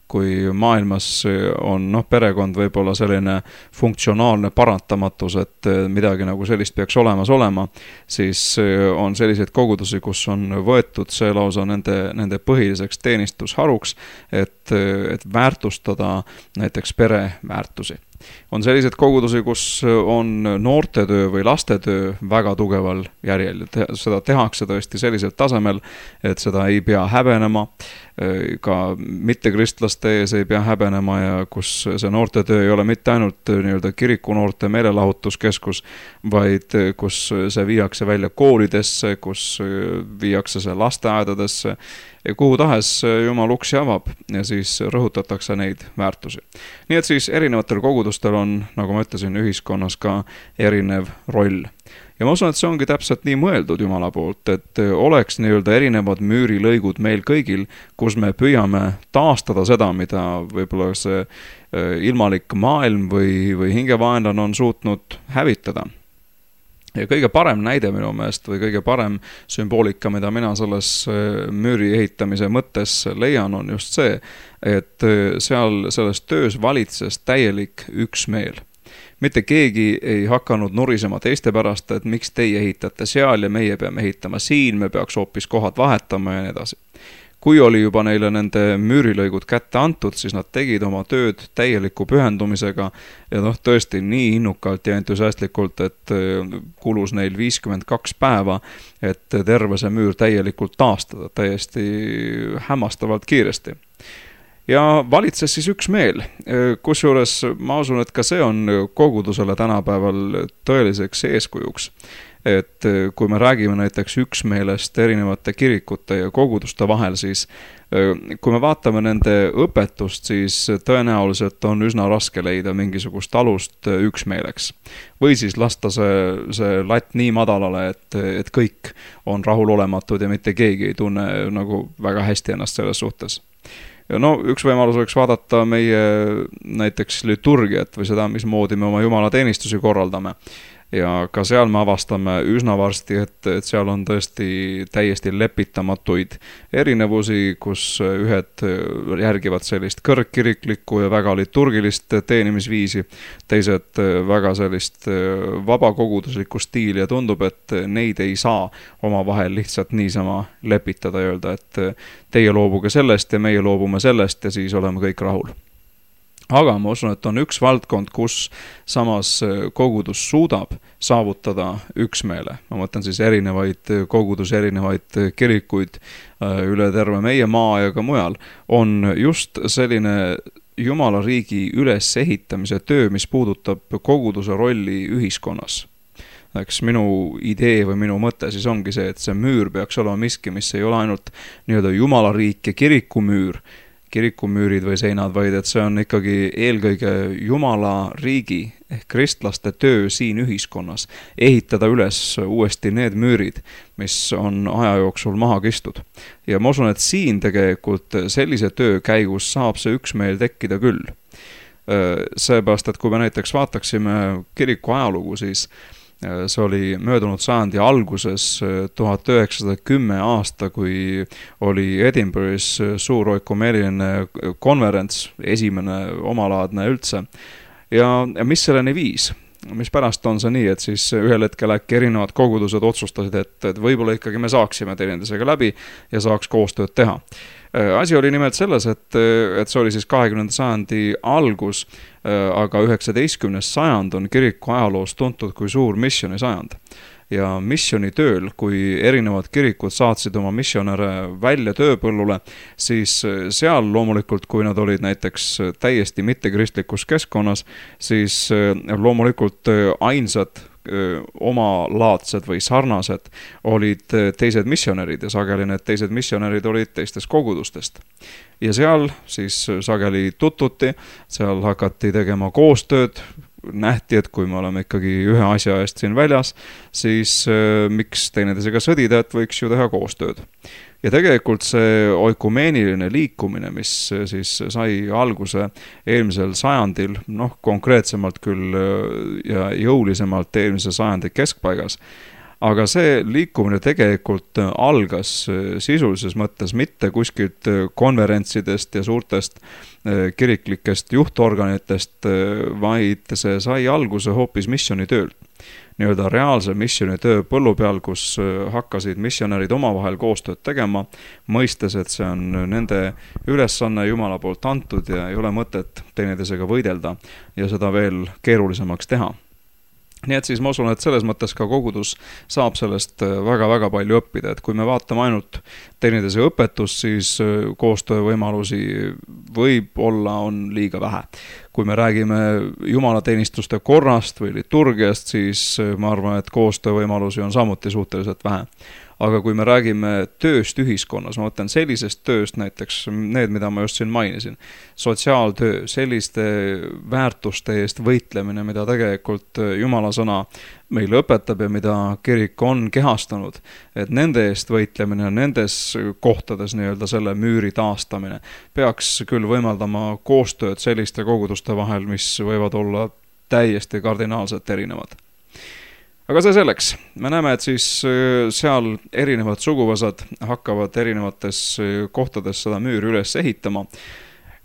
Kui maailmas on perekond võib-olla selline funktsionaalne parantamatus, et midagi nagu sellist peaks olemas olema, siis on selliseid kogudusi, kus on võetud see lausa nende põhiliseks teenistusharuks, et väärtustada näiteks pereväärtusi. On sellised kogudusi, kus on noortetöö või lastetöö väga tugeval järjel. Seda tehakse tõesti sellisel tasemel, et seda ei pea häbenema, ka mittekristlaste ees ei pea häbenema ja kus see noortetöö ei ole mitte ainult nii-öelda kirikunoorte meelelahutuskeskus, vaid kus see viiakse välja koolidesse, kus viiakse see lasteaedadesse ja kuhu tahes Jumal uksi avab ja siis rõhutatakse neid väärtusi. Nii et siis erinevatel kogudustel on, nagu ma ütlesin, ühiskonnas ka erinev roll. Ja ma usun, et see ongi täpselt nii mõeldud Jumala poolt, et oleks nii-öelda erinevad müürilõigud meil kõigil, kus me püüame taastada seda, mida võib-olla see ilmalik maailm või hingevaenlane on suutnud hävitada. Ja kõige parem näide minu meelest või kõige parem sümboolika, mida mina selles müüri ehitamise mõttes leian, on just see, et seal selles töös valitses täielik üksmeel. Mitte keegi ei hakanud nurisema teiste pärast, et miks teie ehitate seal ja meie peame ehitama siin, me peaks hoopis kohad vahetama ja nii edasi. Kui oli juba neile nende müürilõigud kätte antud, siis nad tegid oma tööd täieliku pühendumisega ja tõesti nii innukalt ja entusiastlikult, et kulus neil 52 päeva, et terve see müür täielikult taastada, täiesti hämmastavalt kiiresti. Ja valitses siis üksmeel, kusjuures ma usun, et ka see on kogudusele tänapäeval tõeliseks eeskujuks. Et kui me räägime näiteks üksmeelest erinevate kirikute ja koguduste vahel, siis kui me vaatame nende õpetust, siis tõenäoliselt on üsna raske leida mingisugust alust üksmeeleks. Või siis lasta see latt nii madalale, et kõik on rahulolematud ja mitte keegi ei tunne nagu väga hästi ennast selles suhtes. Ja üks võimalus oleks vaadata meie näiteks liturgiat või seda, mismoodi me oma jumalateenistusi korraldame. Ja ka seal me avastame üsna varsti, et seal on tõesti täiesti lepitamatuid erinevusi, kus ühed järgivad sellist kõrgkiriklikku ja väga liturgilist teenimisviisi, teised väga sellist vabakoguduslikku stiili ja tundub, et neid ei saa omavahel lihtsalt niisama lepitada ja öelda, et teie loobuge sellest ja meie loobume sellest ja siis oleme kõik rahul. Aga ma usun, et on üks valdkond, kus samas kogudus suudab saavutada üksmeele. Ma mõtlen siis erinevaid kogudus, erinevaid kirikuid üle terve meie maa ja ka mujal. On just selline Jumala riigi ülesehitamise töö, mis puudutab koguduse rolli ühiskonnas. Eks minu idee või minu mõte siis ongi see, et see müür peaks olema miski, mis ei ole ainult nii-öelda Jumala riik ja kirikumüürid või seinad, vaid et see on ikkagi eelkõige Jumala riigi ehk kristlaste töö siin ühiskonnas, ehitada üles uuesti need müürid, mis on aja jooksul maha kistud. Ja ma usun, et siin tegelikult sellise töö käigus saab see üksmeel tekkida küll. Seepärast, et kui me näiteks vaataksime kiriku ajalugu, siis see oli möödunud sajandi alguses 1910 aasta, kui oli Edinburgh'is suur oikumeeliline konverents, esimene omalaadne üldse. Ja mis selleni viis? Mis pärast on see nii, et siis ühel hetkel äkki erinevad kogudused otsustasid, et võib-olla ikkagi me saaksime teineteisega läbi ja saaks koostööd teha. Asi oli nimelt selles, et see oli siis 20. sajandi algus, aga 19. sajand on kiriku ajaloos tuntud kui suur missiooni sajand. Ja missiooni tööl, kui erinevad kirikud saatsid oma missionäre välja tööpõllule, siis seal loomulikult, kui nad olid näiteks täiesti mittekristlikus keskkonnas, siis loomulikult ainsad omalaadsed või sarnased olid teised missionärid ja sageli need teised missionärid olid teistest kogudustest. Ja seal siis sageli tutvuti, seal hakati tegema koostööd, nähti, et kui me oleme ikkagi ühe asja eest siin väljas, siis miks teineteisega sõdida, et võiks ju teha koostööd. Ja tegelikult see oikumeeniline liikumine, mis siis sai alguse eelmisel sajandil, konkreetsemalt küll ja jõulisemalt eelmise sajandi keskpaigas, aga see liikumine tegelikult algas sisulises mõttes mitte kuskilt konverentsidest ja suurtest kiriklikest juhtorganitest, vaid see sai alguse hoopis missioonitöölt. nii-öelda reaalse missiooni töö põllu peal, kus hakkasid missionärid omavahel koostööd tegema, mõistes, et see on nende ülesanne Jumala poolt antud ja ei ole mõtet teineteisega võidelda ja seda veel keerulisemaks teha. Nii et siis ma usun, et selles mõttes ka kogudus saab sellest väga-väga palju õppida, et kui me vaatame ainult teineteise õpetust, siis koostöövõimalusi võib-olla on liiga vähe. Kui me räägime jumalateenistuste korrast või liturgiast, siis ma arvan, et koostöövõimalusi on samuti suhteliselt vähe. Aga kui me räägime tööst ühiskonnas, ma mõtlen sellisest tööst, näiteks need, mida ma just siin mainisin, sotsiaaltöö, selliste väärtuste eest võitlemine, mida tegelikult Jumala sõna meile õpetab ja mida kirik on kehastanud, et nende eest võitlemine, nendes kohtades nii-öelda selle müüri taastamine peaks küll võimaldama koostööd selliste koguduste vahel, mis võivad olla täiesti kardinaalselt erinevad. Aga see selleks. Me näeme, et siis seal erinevad suguvõsad hakkavad erinevates kohtades seda müüri üles ehitama.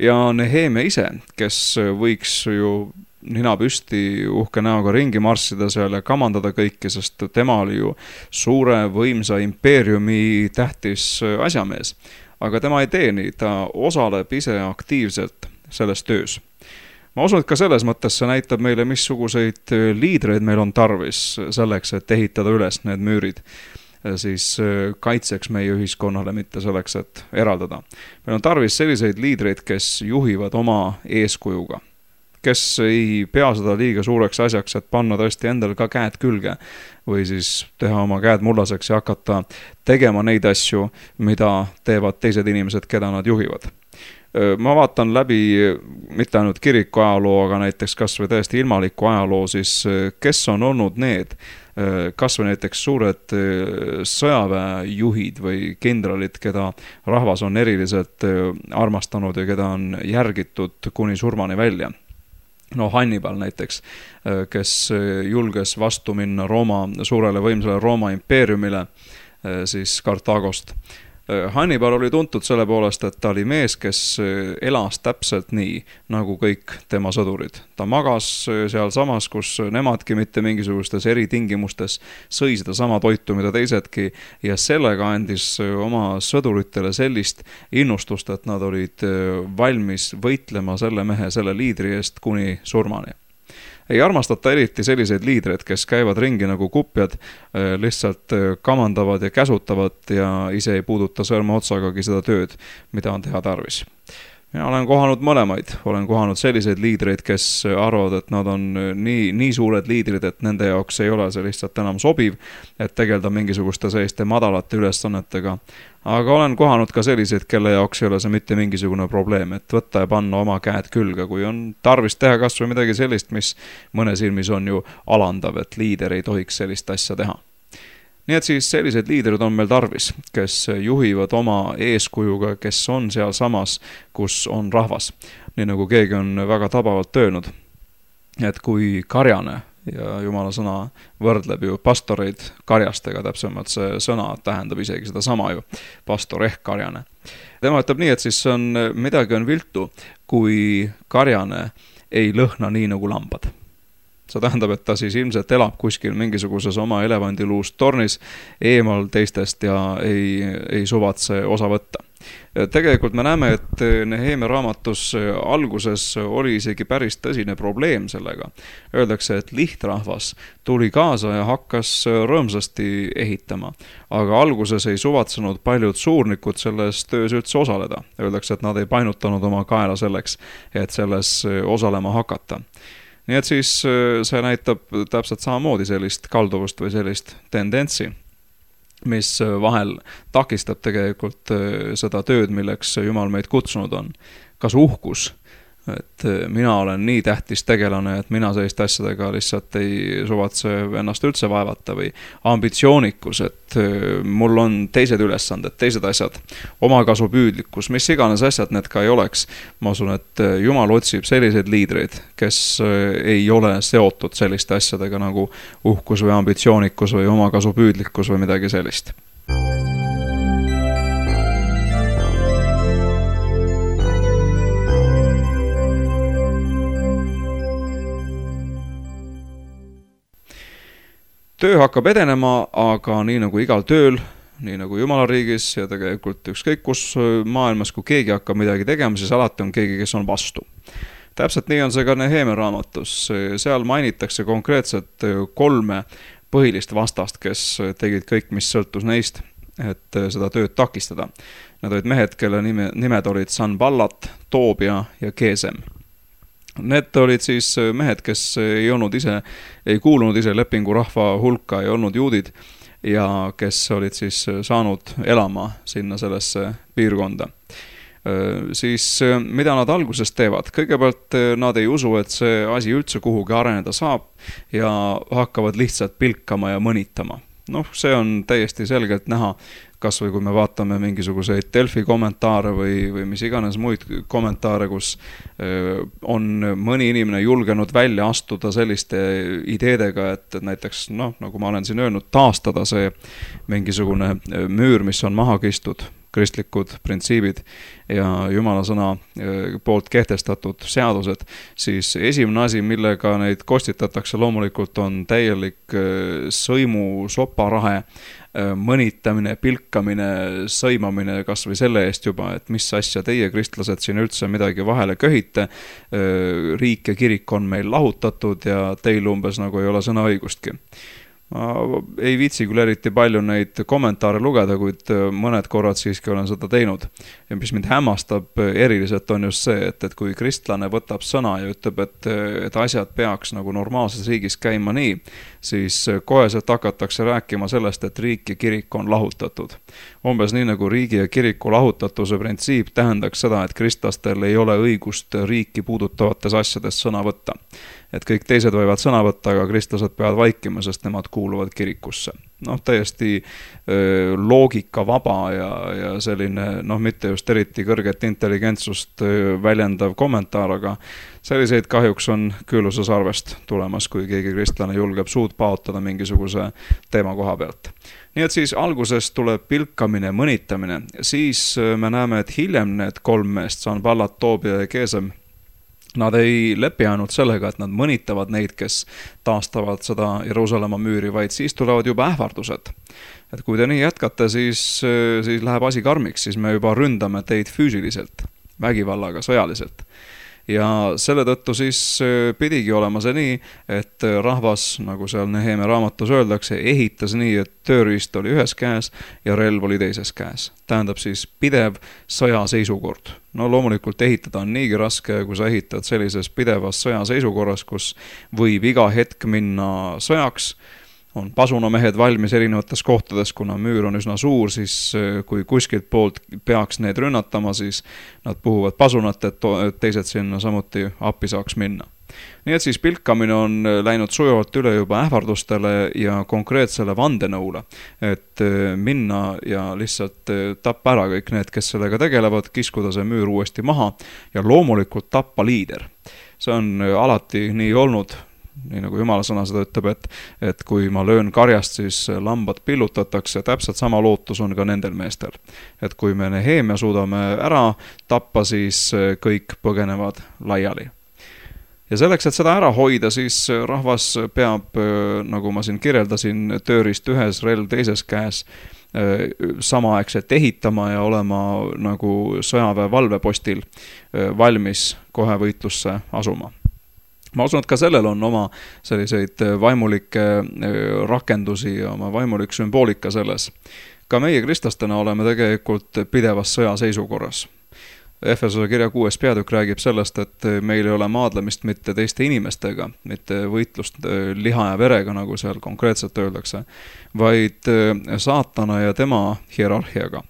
Ja Nehemia ise, kes võiks ju nina püsti uhke näoga ringi marssida seal ja kamandada kõike, sest tema oli ju suure võimsa impeeriumi tähtis asjamees. Aga tema ei tee nii, ta osaleb ise aktiivselt selles töös. Ma usun, et ka selles mõttes see näitab meile, missuguseid liidreid meil on tarvis selleks, et ehitada üles need müürid siis kaitseks meie ühiskonnale, mitte selleks, et eraldada. Meil on tarvis selliseid liidreid, kes juhivad oma eeskujuga, kes ei pea seda liiga suureks asjaks, et panna tõesti endal ka käed külge või siis teha oma käed mullaseks ja hakata tegema neid asju, mida teevad teised inimesed, keda nad juhivad. Ma vaatan läbi mitte ainult kiriku ajaloo, aga näiteks kas või tõesti ilmaliku ajaloo, siis kes on olnud need, kas või näiteks suured sõjaväejuhid või kindralid, keda rahvas on eriliselt armastanud ja keda on järgitud kuni surmani välja. No Hannibal näiteks, kes julges vastu minna suurele võimsale Rooma impeeriumile, siis Kartaagost. Hannibal oli tuntud selle poolest, et ta oli mees, kes elas täpselt nii, nagu kõik tema sõdurid. Ta magas seal samas, kus nemadki mitte mingisugustes eritingimustes sõi seda sama toitu, mida teisedki, ja sellega andis oma sõduritele sellist innustust, et nad olid valmis võitlema selle mehe, selle liidri eest kuni surmani. Ei armastata eriti selliseid liidreid, kes käivad ringi nagu kupjad, lihtsalt kamandavad ja käsutavad ja ise ei puuduta sõrme otsagagi seda tööd, mida on teha tarvis. Mina olen kohanud mõlemaid, olen kohanud selliseid liidreid, kes arvavad, et nad on nii suured liidrid, et nende jaoks ei ole see lihtsalt enam sobiv, et tegelda mingisuguste selliste madalate ülesannetega. Aga olen kohanud ka selliseid, kelle jaoks ei ole see mitte mingisugune probleem, et võtta ja panna oma käed külge, kui on tarvis teha kas või midagi sellist, mis mõne silmis on ju alandav, et liider ei tohiks sellist asja teha. Nii et siis sellised liidrid on meil tarvis, kes juhivad oma eeskujuga, kes on seal samas, kus on rahvas. Nii nagu keegi on väga tabavalt öelnud, et kui karjane, ja Jumala sõna võrdleb ju pastoreid karjastega, täpsemalt see sõna tähendab isegi seda sama ju, pastor ehk karjane. Tema ütleb nii, et siis midagi on viltu, kui karjane ei lõhna nii nagu lambad. See tähendab, et ta siis ilmselt elab kuskil mingisuguses oma elevandiluust tornis eemal teistest ja ei suvatse osa võtta. Tegelikult me näeme, et Nehemia raamatus alguses oli isegi päris tõsine probleem sellega. Öeldakse, et lihtrahvas tuli kaasa ja hakkas rõõmsasti ehitama, aga alguses ei suvatsenud paljud suurnikud selles töös üldse osaleda. Öeldakse, et nad ei painutanud oma kaela selleks, et selles osalema hakata. Nii et siis see näitab täpselt samamoodi sellist kalduvust või sellist tendentsi, mis vahel takistab tegelikult seda tööd, milleks Jumal meid kutsunud on. Kas uhkus, et mina olen nii tähtis tegelane, et mina selliste asjadega lihtsalt ei suvatse ennast üldse vaevata või ambitsioonikus, et mul on teised ülesanded, teised asjad, omakasupüüdlikkus, mis iganes asjad need ka ei oleks. Ma usun, et Jumal otsib selliseid liidreid, kes ei ole seotud selliste asjadega nagu uhkus või ambitsioonikus või omakasupüüdlikkus või midagi sellist. töö hakkab edenema, aga nii nagu igal tööl, nii nagu Jumala riigis ja tegelikult ükskõik kus maailmas, kui keegi hakkab midagi tegema, siis alati on keegi, kes on vastu. Täpselt nii on see ka Neheemia raamatus. Seal mainitakse konkreetselt 3 põhilist vastast, kes tegid kõik, mis sõltus neist, et seda tööd takistada. Nad olid mehed, kelle nimed olid Sanballat, Toobia ja Gesem. Need olid siis mehed, kes ei kuulunud ise lepingurahva hulka, ei olnud juudid ja kes olid siis saanud elama sinna sellesse piirkonda. Siis mida nad alguses teevad? Kõigepealt nad ei usu, et see asi üldse kuhugi areneda saab ja hakkavad lihtsalt pilkama ja mõnitama. See on täiesti selgelt näha, kas või kui me vaatame mingisuguseid Delfi kommentaare või mis iganes muid kommentaare, kus on mõni inimene julgenud välja astuda selliste ideedega, et näiteks, nagu ma olen siin öelnud, taastada see mingisugune müür, mis on maha kistud, kristlikud printsiibid ja Jumala sõna poolt kehtestatud seadused, siis esimene asi, millega neid kostitatakse loomulikult on täielik sõimu soparahe, mõnitamine, pilkamine, sõimamine kas või selle eest juba, et mis asja teie kristlased siin üldse midagi vahele köhite, riik ja kirik on meil lahutatud ja teil umbes nagu ei ole sõnaõigustki. Ma ei viitsi küll eriti palju neid kommentaare lugeda, kuid mõned korrad siiski olen seda teinud. Ja mis mind hämmastab eriliselt on just see, et kui kristlane võtab sõna ja ütleb, et asjad peaks nagu normaalses riigis käima nii, siis koheselt hakatakse rääkima sellest, et riik ja kirik on lahutatud. Umbes nii nagu riigi ja kiriku lahutatuse printsiip tähendaks seda, et kristlastel ei ole õigust riiki puudutavates asjades sõna võtta. Et kõik teised võivad sõna võtta, aga kristlased peavad vaikima, sest nemad kuuluvad kirikusse. Täiesti loogika vaba ja selline, mitte just eriti kõrget intelligentsust väljendav kommentaar, aga selliseid kahjuks on küüluse sarvest tulemas, kui keegi kristlane julgeb suud paotada mingisuguse teema koha pealt. Nii et siis alguses tuleb pilkamine, mõnitamine, siis me näeme, et hiljem need 3 meest, Sanballat, Toobia ja Gesem, nad ei lepi ainult sellega, et nad mõnitavad neid, kes taastavad seda Jeruusalemma müüri, vaid siis tulevad juba ähvardused. Et kui te nii jätkate, siis läheb asi karmiks, siis me juba ründame teid füüsiliselt, vägivallaga, sõjaliselt. Ja selle tõttu siis pidigi olema see nii, et rahvas, nagu seal Neheemia raamatus öeldakse, ehitas nii, et tööriist oli ühes käes ja relv oli teises käes. Tähendab siis pidev sõjaseisukord. Loomulikult ehitada on niigi raske, kui sa ehitad sellises pidevas sõjaseisukorras, kus võib iga hetk minna sõjaks, on pasunamehed valmis erinevates kohtades, kuna müür on üsna suur, siis kui kuskilt poolt peaks need rünnatama, siis nad puhuvad pasunat, et teised sinna samuti appi saaks minna. Nii et siis pilkamine on läinud sujuvalt üle juba ähvardustele ja konkreetsele vandenõule, et minna ja lihtsalt tappa ära kõik need, kes sellega tegelevad, kiskuda see müür uuesti maha ja loomulikult tappa liider. See on alati nii olnud, nii nagu Jumala sõna seda ütleb, et kui ma löön karjast, siis lambad pillutatakse, täpselt sama lootus on ka nendel meestel. Et kui me Neheemia suudame ära tappa, siis kõik põgenevad laiali. Ja selleks, et seda ära hoida, siis rahvas peab, nagu ma siin kirjeldasin, tööriist ühes, relv teises käes, samaaegselt ehitama ja olema nagu sõjaväe valvepostil valmis kohe võitlusse asuma. Ma usun, et ka sellel on oma selliseid vaimulikke rakendusi ja oma vaimulik sümboolika selles. Ka meie kristlastena oleme tegelikult pidevas sõjaseisukorras. Efesose kirja 6. peatükk räägib sellest, et meil ei ole maadlemist mitte teiste inimestega, mitte võitlust liha ja verega, nagu seal konkreetselt öeldakse, vaid saatana ja tema hierarhiaga.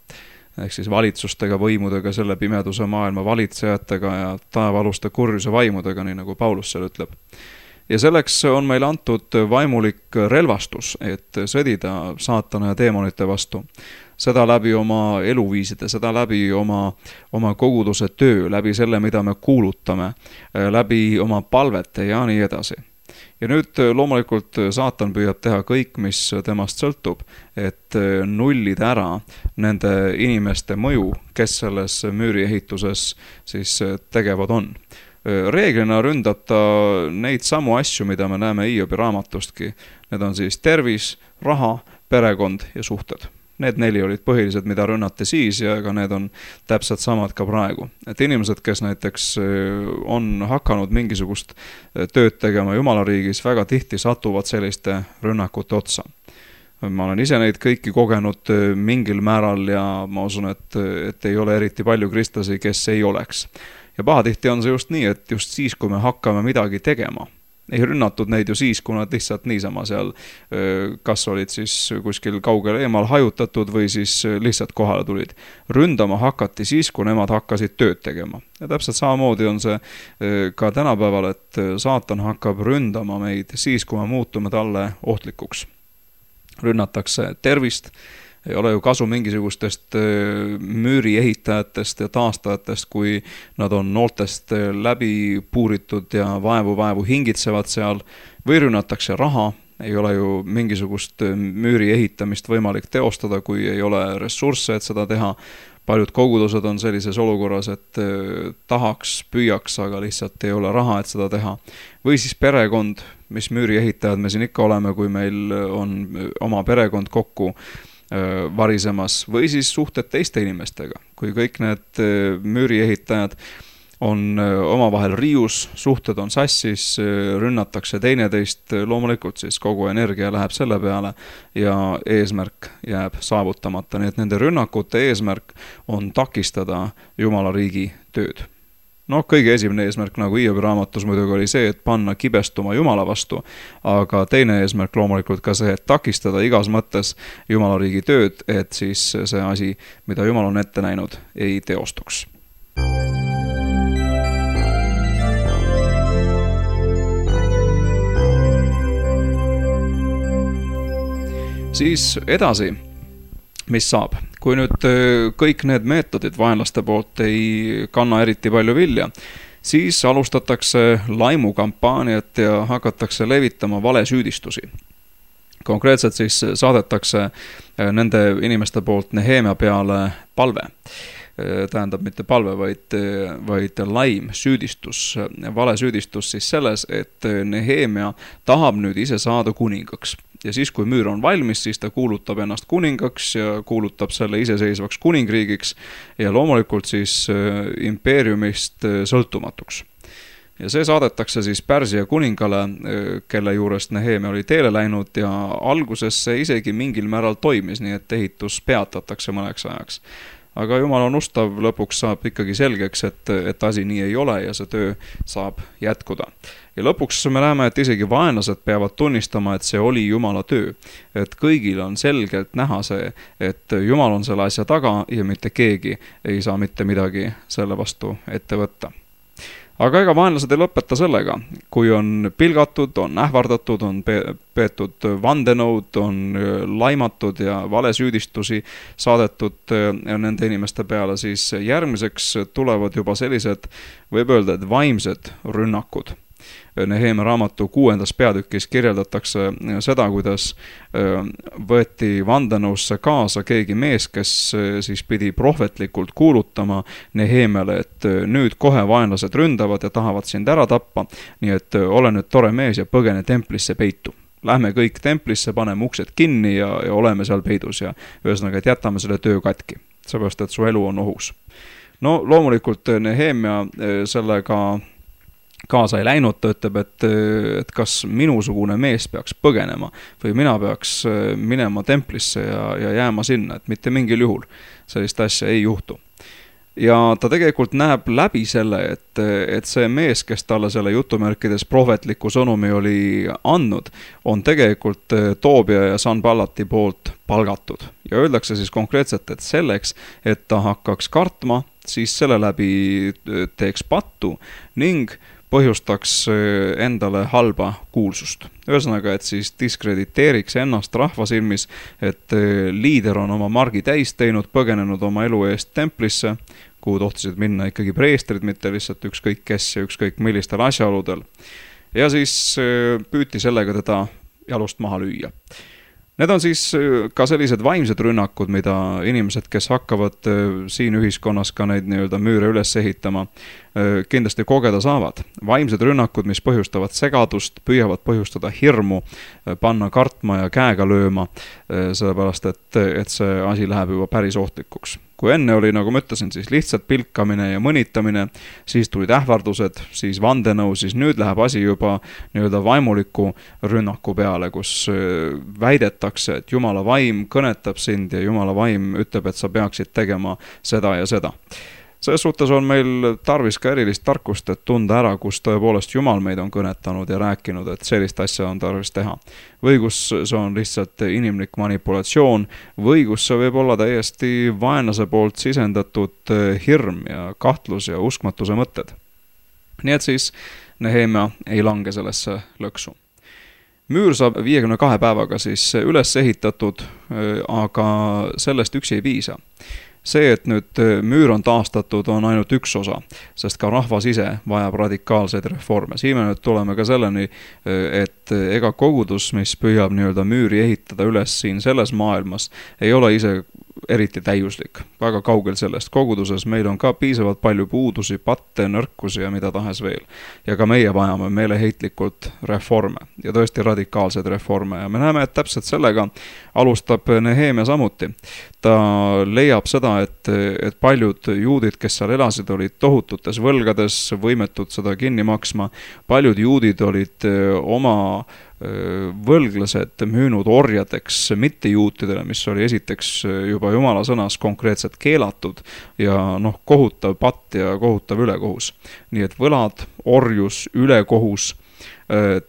Ehk siis valitsustega, võimudega, selle pimeduse maailma valitsejatega ja taevaluste kurjuse vaimudega, nii nagu Paulus seal ütleb. Ja selleks on meil antud vaimulik relvastus, et sõdida saatana ja teemonite vastu. Seda läbi oma eluviiside, seda läbi oma koguduse töö, läbi selle, mida me kuulutame, läbi oma palvete ja nii edasi. Ja nüüd loomulikult saatan püüab teha kõik, mis temast sõltub, et nullida ära nende inimeste mõju, kes selles müüriehituses siis tegevad on. Reeglina ründab ta neid samu asju, mida me näeme Hiobi raamatustki. Need on siis tervis, raha, perekond ja suhted. Need 4 olid põhilised, mida rünnati siis ja ega need on täpselt samad ka praegu. Et inimesed, kes näiteks on hakanud mingisugust tööd tegema Jumala riigis, väga tihti satuvad selliste rünnakute otsa. Ma olen ise neid kõiki kogenud mingil määral ja ma usun, et ei ole eriti palju kristlasi, kes ei oleks. Ja pahatihti on see just nii, et just siis, kui me hakkame midagi tegema, ei rünnatud neid ju siis, kui nad lihtsalt niisama seal kas olid siis kuskil kaugel eemal hajutatud või siis lihtsalt kohale tulid. Ründama hakati siis, kui nemad hakkasid tööd tegema. Ja täpselt samamoodi on see ka tänapäeval, et saatan hakkab ründama meid siis, kui me muutume talle ohtlikuks. Rünnatakse tervist, ei ole ju kasu mingisugustest müüri ehitajatest ja taastajatest, kui nad on nooltest läbi puuritud ja vaevu hingitsevad seal, või rünnatakse raha, ei ole ju mingisugust müüri ehitamist võimalik teostada, kui ei ole ressursse, et seda teha. Paljud kogudused on sellises olukorras, et tahaks, püüaks, aga lihtsalt ei ole raha, et seda teha. Või siis perekond, mis müüri ehitajad me siin ikka oleme, kui meil on oma perekond kokku varisemas, või siis suhted teiste inimestega. Kui kõik need müüri ehitajad on omavahel riius, suhted on sassis, rünnatakse teineteist, loomulikult siis kogu energia läheb selle peale ja eesmärk jääb saavutamata. Nii et nende rünnakute eesmärk on takistada Jumala riigi tööd. Kõige esimene eesmärk, nagu Hiobi raamatus muidugi oli see, et panna kibestuma Jumala vastu, aga teine eesmärk loomulikult ka see, et takistada igas mõttes Jumala riigi tööd, et siis see asi, mida Jumal on ette näinud, ei teostuks. Siis edasi, mis saab? Kui nüüd kõik need meetodid vaenlaste poolt ei kanna eriti palju vilja, siis alustatakse laimukampaaniat ja hakatakse levitama valesüüdistusi. Konkreetselt siis saadetakse nende inimeste poolt Nehemia peale palve. Tähendab mitte palve, vaid laim, süüdistus, valesüüdistus siis selles, et Nehemia tahab nüüd ise saada kuningaks. Ja siis, kui müür on valmis, siis ta kuulutab ennast kuningaks ja kuulutab selle iseseisvaks kuningriigiks ja loomulikult siis impeeriumist sõltumatuks. Ja see saadetakse siis Pärsia kuningale, kelle juurest Nehemia oli teele läinud ja alguses see isegi mingil määral toimis, nii et ehitus peatatakse mõneks ajaks. Aga Jumal on ustav, lõpuks saab ikkagi selgeks, et asi nii ei ole ja see töö saab jätkuda. Ja lõpuks me näeme, et isegi vaenlased peavad tunnistama, et see oli Jumala töö. Et kõigil on selgelt näha see, et Jumal on selle asja taga ja mitte keegi ei saa mitte midagi selle vastu ette võtta. Aga ega vaenlased ei lõpeta sellega, kui on pilgatud, on ähvardatud, on peetud vandenõud, on laimatud ja valesüüdistusi saadetud nende inimeste peale, siis järgmiseks tulevad juba sellised, võib öelda, et vaimsed rünnakud. Nehemia raamatu 6. peatükis kirjeldatakse seda, kuidas võeti vandenõusse kaasa keegi mees, kes siis pidi prohvetlikult kuulutama Nehemiale, et nüüd kohe vaenlased ründavad ja tahavad sind ära tappa, nii et ole nüüd tore mees ja põgene templisse peitu. Lähme kõik templisse, paneme uksed kinni ja oleme seal peidus ja ühesõnaga, et jätame selle töö katki, seepärast, et su elu on ohus. Loomulikult Nehemia sellega kaasa ei läinud, ta ütleb, et kas minusugune mees peaks põgenema või mina peaks minema templisse ja jääma sinna, et mitte mingil juhul sellist asja ei juhtu. Ja ta tegelikult näeb läbi selle, et see mees, kes talle selle jutumärkides prohvetliku sõnumi oli andnud, on tegelikult Toobia ja Sanballati poolt palgatud. Ja öeldakse siis konkreetselt, et selleks, et ta hakkaks kartma, siis selle läbi teeks pattu ning põhjustaks endale halba kuulsust. Ühesõnaga, et siis diskrediteeriks ennast rahva silmis, et liider on oma margi täis teinud, põgenenud oma elu eest templisse, kuhu tohtisid minna ikkagi preestrid, mitte lihtsalt ükskõik kes ja ükskõik millistel asjaoludel. Ja siis püüti sellega teda jalust maha lüüa. Need on siis ka sellised vaimsed rünnakud, mida inimesed, kes hakkavad siin ühiskonnas ka neid nii-öelda müüre üles ehitama, kindlasti kogeda saavad. Vaimsed rünnakud, mis põhjustavad segadust, püüavad põhjustada hirmu, panna kartma ja käega lööma, sellepärast, et see asi läheb juba päris ohtlikuks. Kui enne oli, nagu ma ütlesin, siis lihtsalt pilkamine ja mõnitamine, siis tulid ähvardused, siis vandenõu, siis nüüd läheb asi juba nii-öelda vaimuliku rünnaku peale, kus väidetakse, et Jumala vaim kõnetab sind ja Jumala vaim ütleb, et sa peaksid tegema seda ja seda. Selles suhtes on meil tarvis ka erilist tarkust, et tunda ära, kus tõepoolest Jumal meid on kõnetanud ja rääkinud, et sellist asja on tarvis teha. Või kus see on lihtsalt inimlik manipulatsioon, või kus see võib olla täiesti vaenlase poolt sisendatud hirm ja kahtlus ja uskmatuse mõtted. Nii et siis Nehemia ei lange sellesse lõksu. Müür saab 52 päevaga siis üles ehitatud, aga sellest üksi ei piisa. See, et nüüd müür on taastatud, on ainult üks osa, sest ka rahvas ise vajab radikaalseid reforme. Siin me nüüd tuleme ka selleni, et ega kogudus, mis püüab nii-öelda müüri ehitada üles siin selles maailmas, ei ole ise eriti täiuslik. Väga kaugel sellest. Koguduses meil on ka piisavalt palju puudusi, patte, nõrkusi ja mida tahes veel. Ja ka meie vajame meeleheitlikult reforme ja tõesti radikaalseid reforme. Ja me näeme, et täpselt sellega alustab Nehemia samuti. Ta leiab seda, et paljud juudid, kes seal elasid, olid tohututes võlgades, võimetud seda kinni maksma. Paljud juudid olid oma võlglased müünud orjadeks mittejuutidele, mis oli esiteks juba Jumala sõnas konkreetselt keelatud ja kohutav patt ja kohutav ülekohus. Nii et võlad, orjus, ülekohus,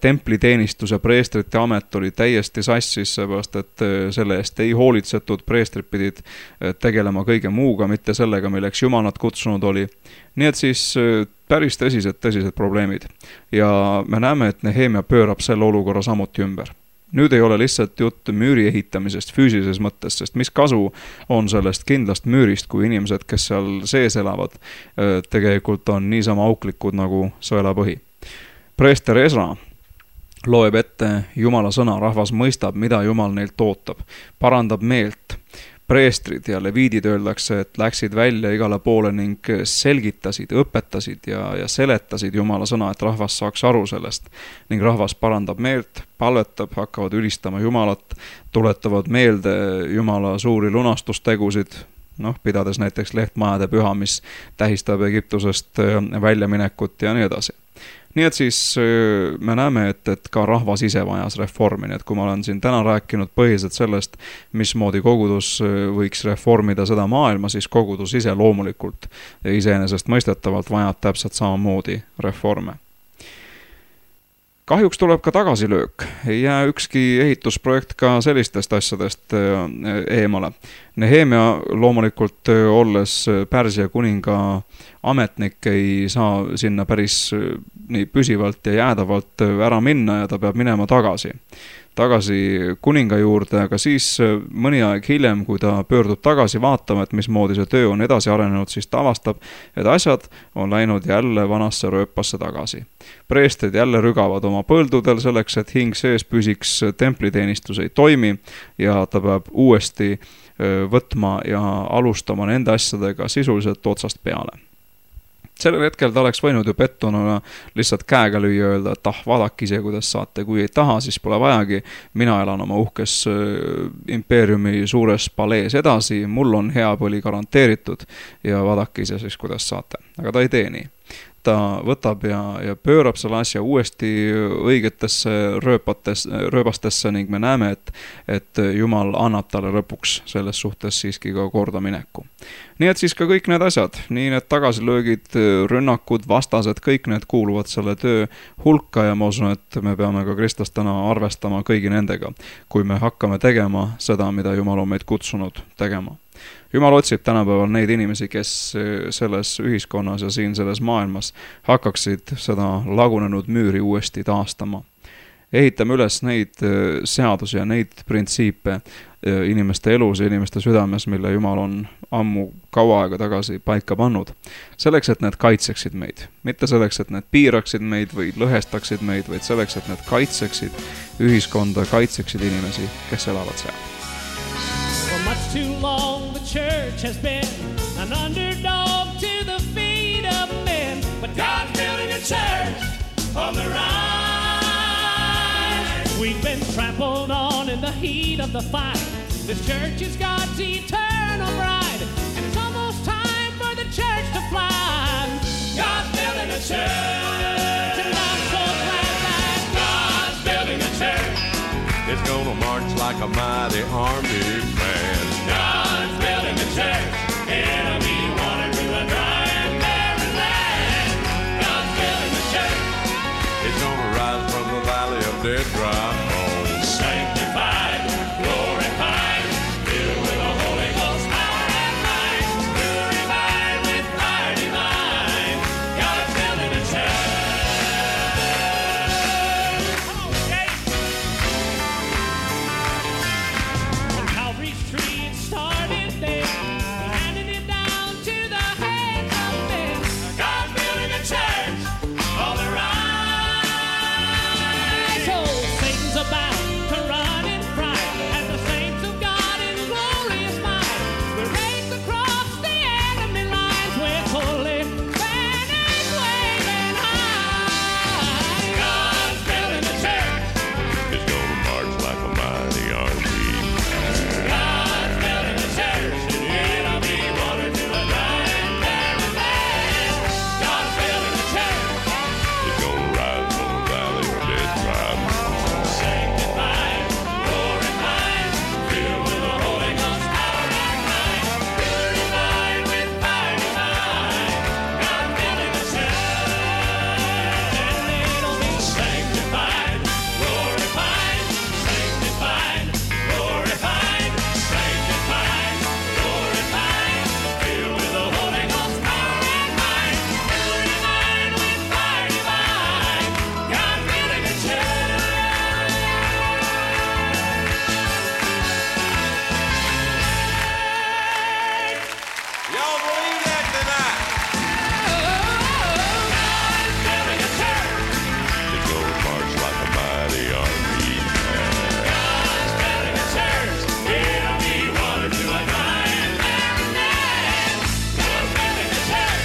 templiteenistus ja preestrite amet oli täiesti sassis, seepärast et selle eest ei hoolitsetud, preestrid pidid tegelema kõige muuga, mitte sellega, milleks Jumal nad kutsunud oli. Nii et siis päris tõsised probleemid. Ja me näeme, et Nehemia pöörab selle olukorra samuti ümber. Nüüd ei ole lihtsalt jutt müüri ehitamisest füüsilises mõttes, sest mis kasu on sellest kindlast müürist, kui inimesed, kes seal sees elavad, tegelikult on niisama auklikud nagu sõelapõhi. Preester Esra loeb ette Jumala sõna, rahvas mõistab, mida Jumal neilt ootab, parandab meelt. Preestrid ja leviidid öeldakse, et läksid välja igale poole ning selgitasid, õpetasid ja seletasid Jumala sõna, et rahvas saaks aru sellest. Ning rahvas parandab meelt, palvetab, hakkavad ülistama Jumalat, tuletavad meelde Jumala suuri lunastustegusid, pidades näiteks lehtmajade püha, mis tähistab Egiptusest väljaminekut ja nii edasi. Nii et siis me näeme, et ka rahvas ise vajas reformi, nii et kui ma olen siin täna rääkinud põhiliselt sellest, mismoodi kogudus võiks reformida seda maailma, siis kogudus ise loomulikult ja iseenesest mõistetavalt vajab täpselt samamoodi reforme. Kahjuks tuleb ka tagasilöök. Ei jää ükski ehitusprojekt ka sellistest asjadest eemale. Nehemia loomulikult olles Pärsia kuninga ametnik ei saa sinna päris nii püsivalt ja jäädavalt ära minna ja ta peab minema tagasi kuninga juurde, aga siis mõni aeg hiljem, kui ta pöördub tagasi vaatama, et mismoodi see töö on edasi arenenud, siis ta avastab, et asjad on läinud jälle vanasse rööpasse tagasi. Preestrid jälle rügavad oma põldudel selleks, et hing sees püsiks, templiteenistus ei toimi ja ta peab uuesti võtma ja alustama nende asjadega sisuliselt otsast peale. Sellel hetkel ta oleks võinud ju pettuna lihtsalt käega lüüa öelda, et vaadake ise, kuidas saate. Kui ei taha, siis pole vajagi. Mina elan oma uhkes impeeriumi suures palees edasi. Mul on hea põli garanteeritud ja vaadake ise siis, kuidas saate. Aga ta ei tee nii. Ta võtab ja pöörab selle asja uuesti õigetesse rööbastesse ning me näeme, et Jumal annab talle lõpuks selles suhtes siiski ka korda mineku. Nii et siis ka kõik need asjad, nii need tagasilöögid, rünnakud, vastased, kõik need kuuluvad selle töö hulka ja ma usun, et me peame ka kristlastena arvestama kõigi nendega, kui me hakkame tegema seda, mida Jumal on meid kutsunud tegema. Jumal otsib tänapäeval neid inimesi, kes selles ühiskonnas ja siin selles maailmas hakkaksid seda lagunenud müüri uuesti taastama. ehitame üles neid seadusi ja neid printsiipe inimeste elus ja inimeste südames, mille Jumal on ammu kaua aega tagasi paika pannud. Selleks, et need kaitseksid meid. Mitte selleks, et need piiraksid meid või lõhestaksid meid, vaid selleks, et need kaitseksid ühiskonda, kaitseksid inimesi, kes elavad seal. For much too long the church has been an underdog to the feet of men. But God's building a church on the rise. We've been trampled on in the heat of the fight. This church is God's eternal bride, and it's almost time for the church to fly. God's building a church, and I'm so glad that God's building a church. It's gonna march like a mighty army man. God's building a church. It'll be water to a dry and barren land. God's building a church. It's gonna rise from the valley of dead dry bones. Sanctified, glorified, filled with the Holy Ghost power and might, purified with fire divine. God's building a church. Okay. On Calvary's tree it started there. He handed it down to the hands of men. God's building a church on the rise. Oh, Satan's about to run in fright, and the saints of God in glorious might will race across the enemy lines with holy banners waving high. God's building a church. It's gonna march like a mighty army. God's building a church, and it'll be water to a dry and barren land. God's building a church. It's gonna rise from the valley of dead dry bones. Sanctified, glorified, filled with the Holy Ghost power and might, purified with fire divine. God's building a church, and it'll be sanctified, glorified, sanctified, glorified, sanctified, glorified, filled with the Holy Ghost power and might, purified with fire divine. God's building a church. Y'all believe that tonight? God's building a church. It's gonna march like a mighty army. God's building a church. It'll be water to a dry and barren land. God's building a church.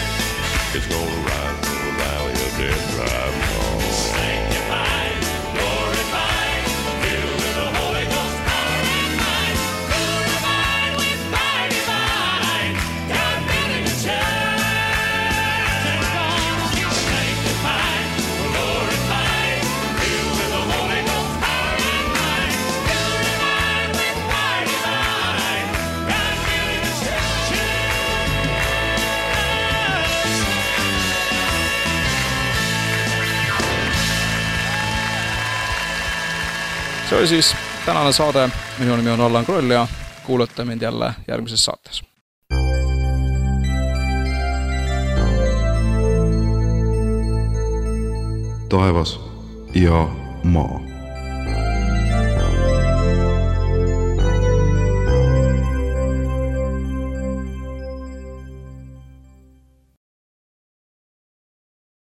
It's gonna rise from the valley of dead dry bones. Sanctified, glorified, filled with the Holy Ghost power and might, purified with fire divine. God's building a church. And God's sanctified, glorified, filled with the Holy Ghost power and might, purified with fire divine. God's building a church. See oli siis tänane saade. Minu nimi on Allan Kroll ja kuulate mind jälle järgmises saates. taevas ja maa.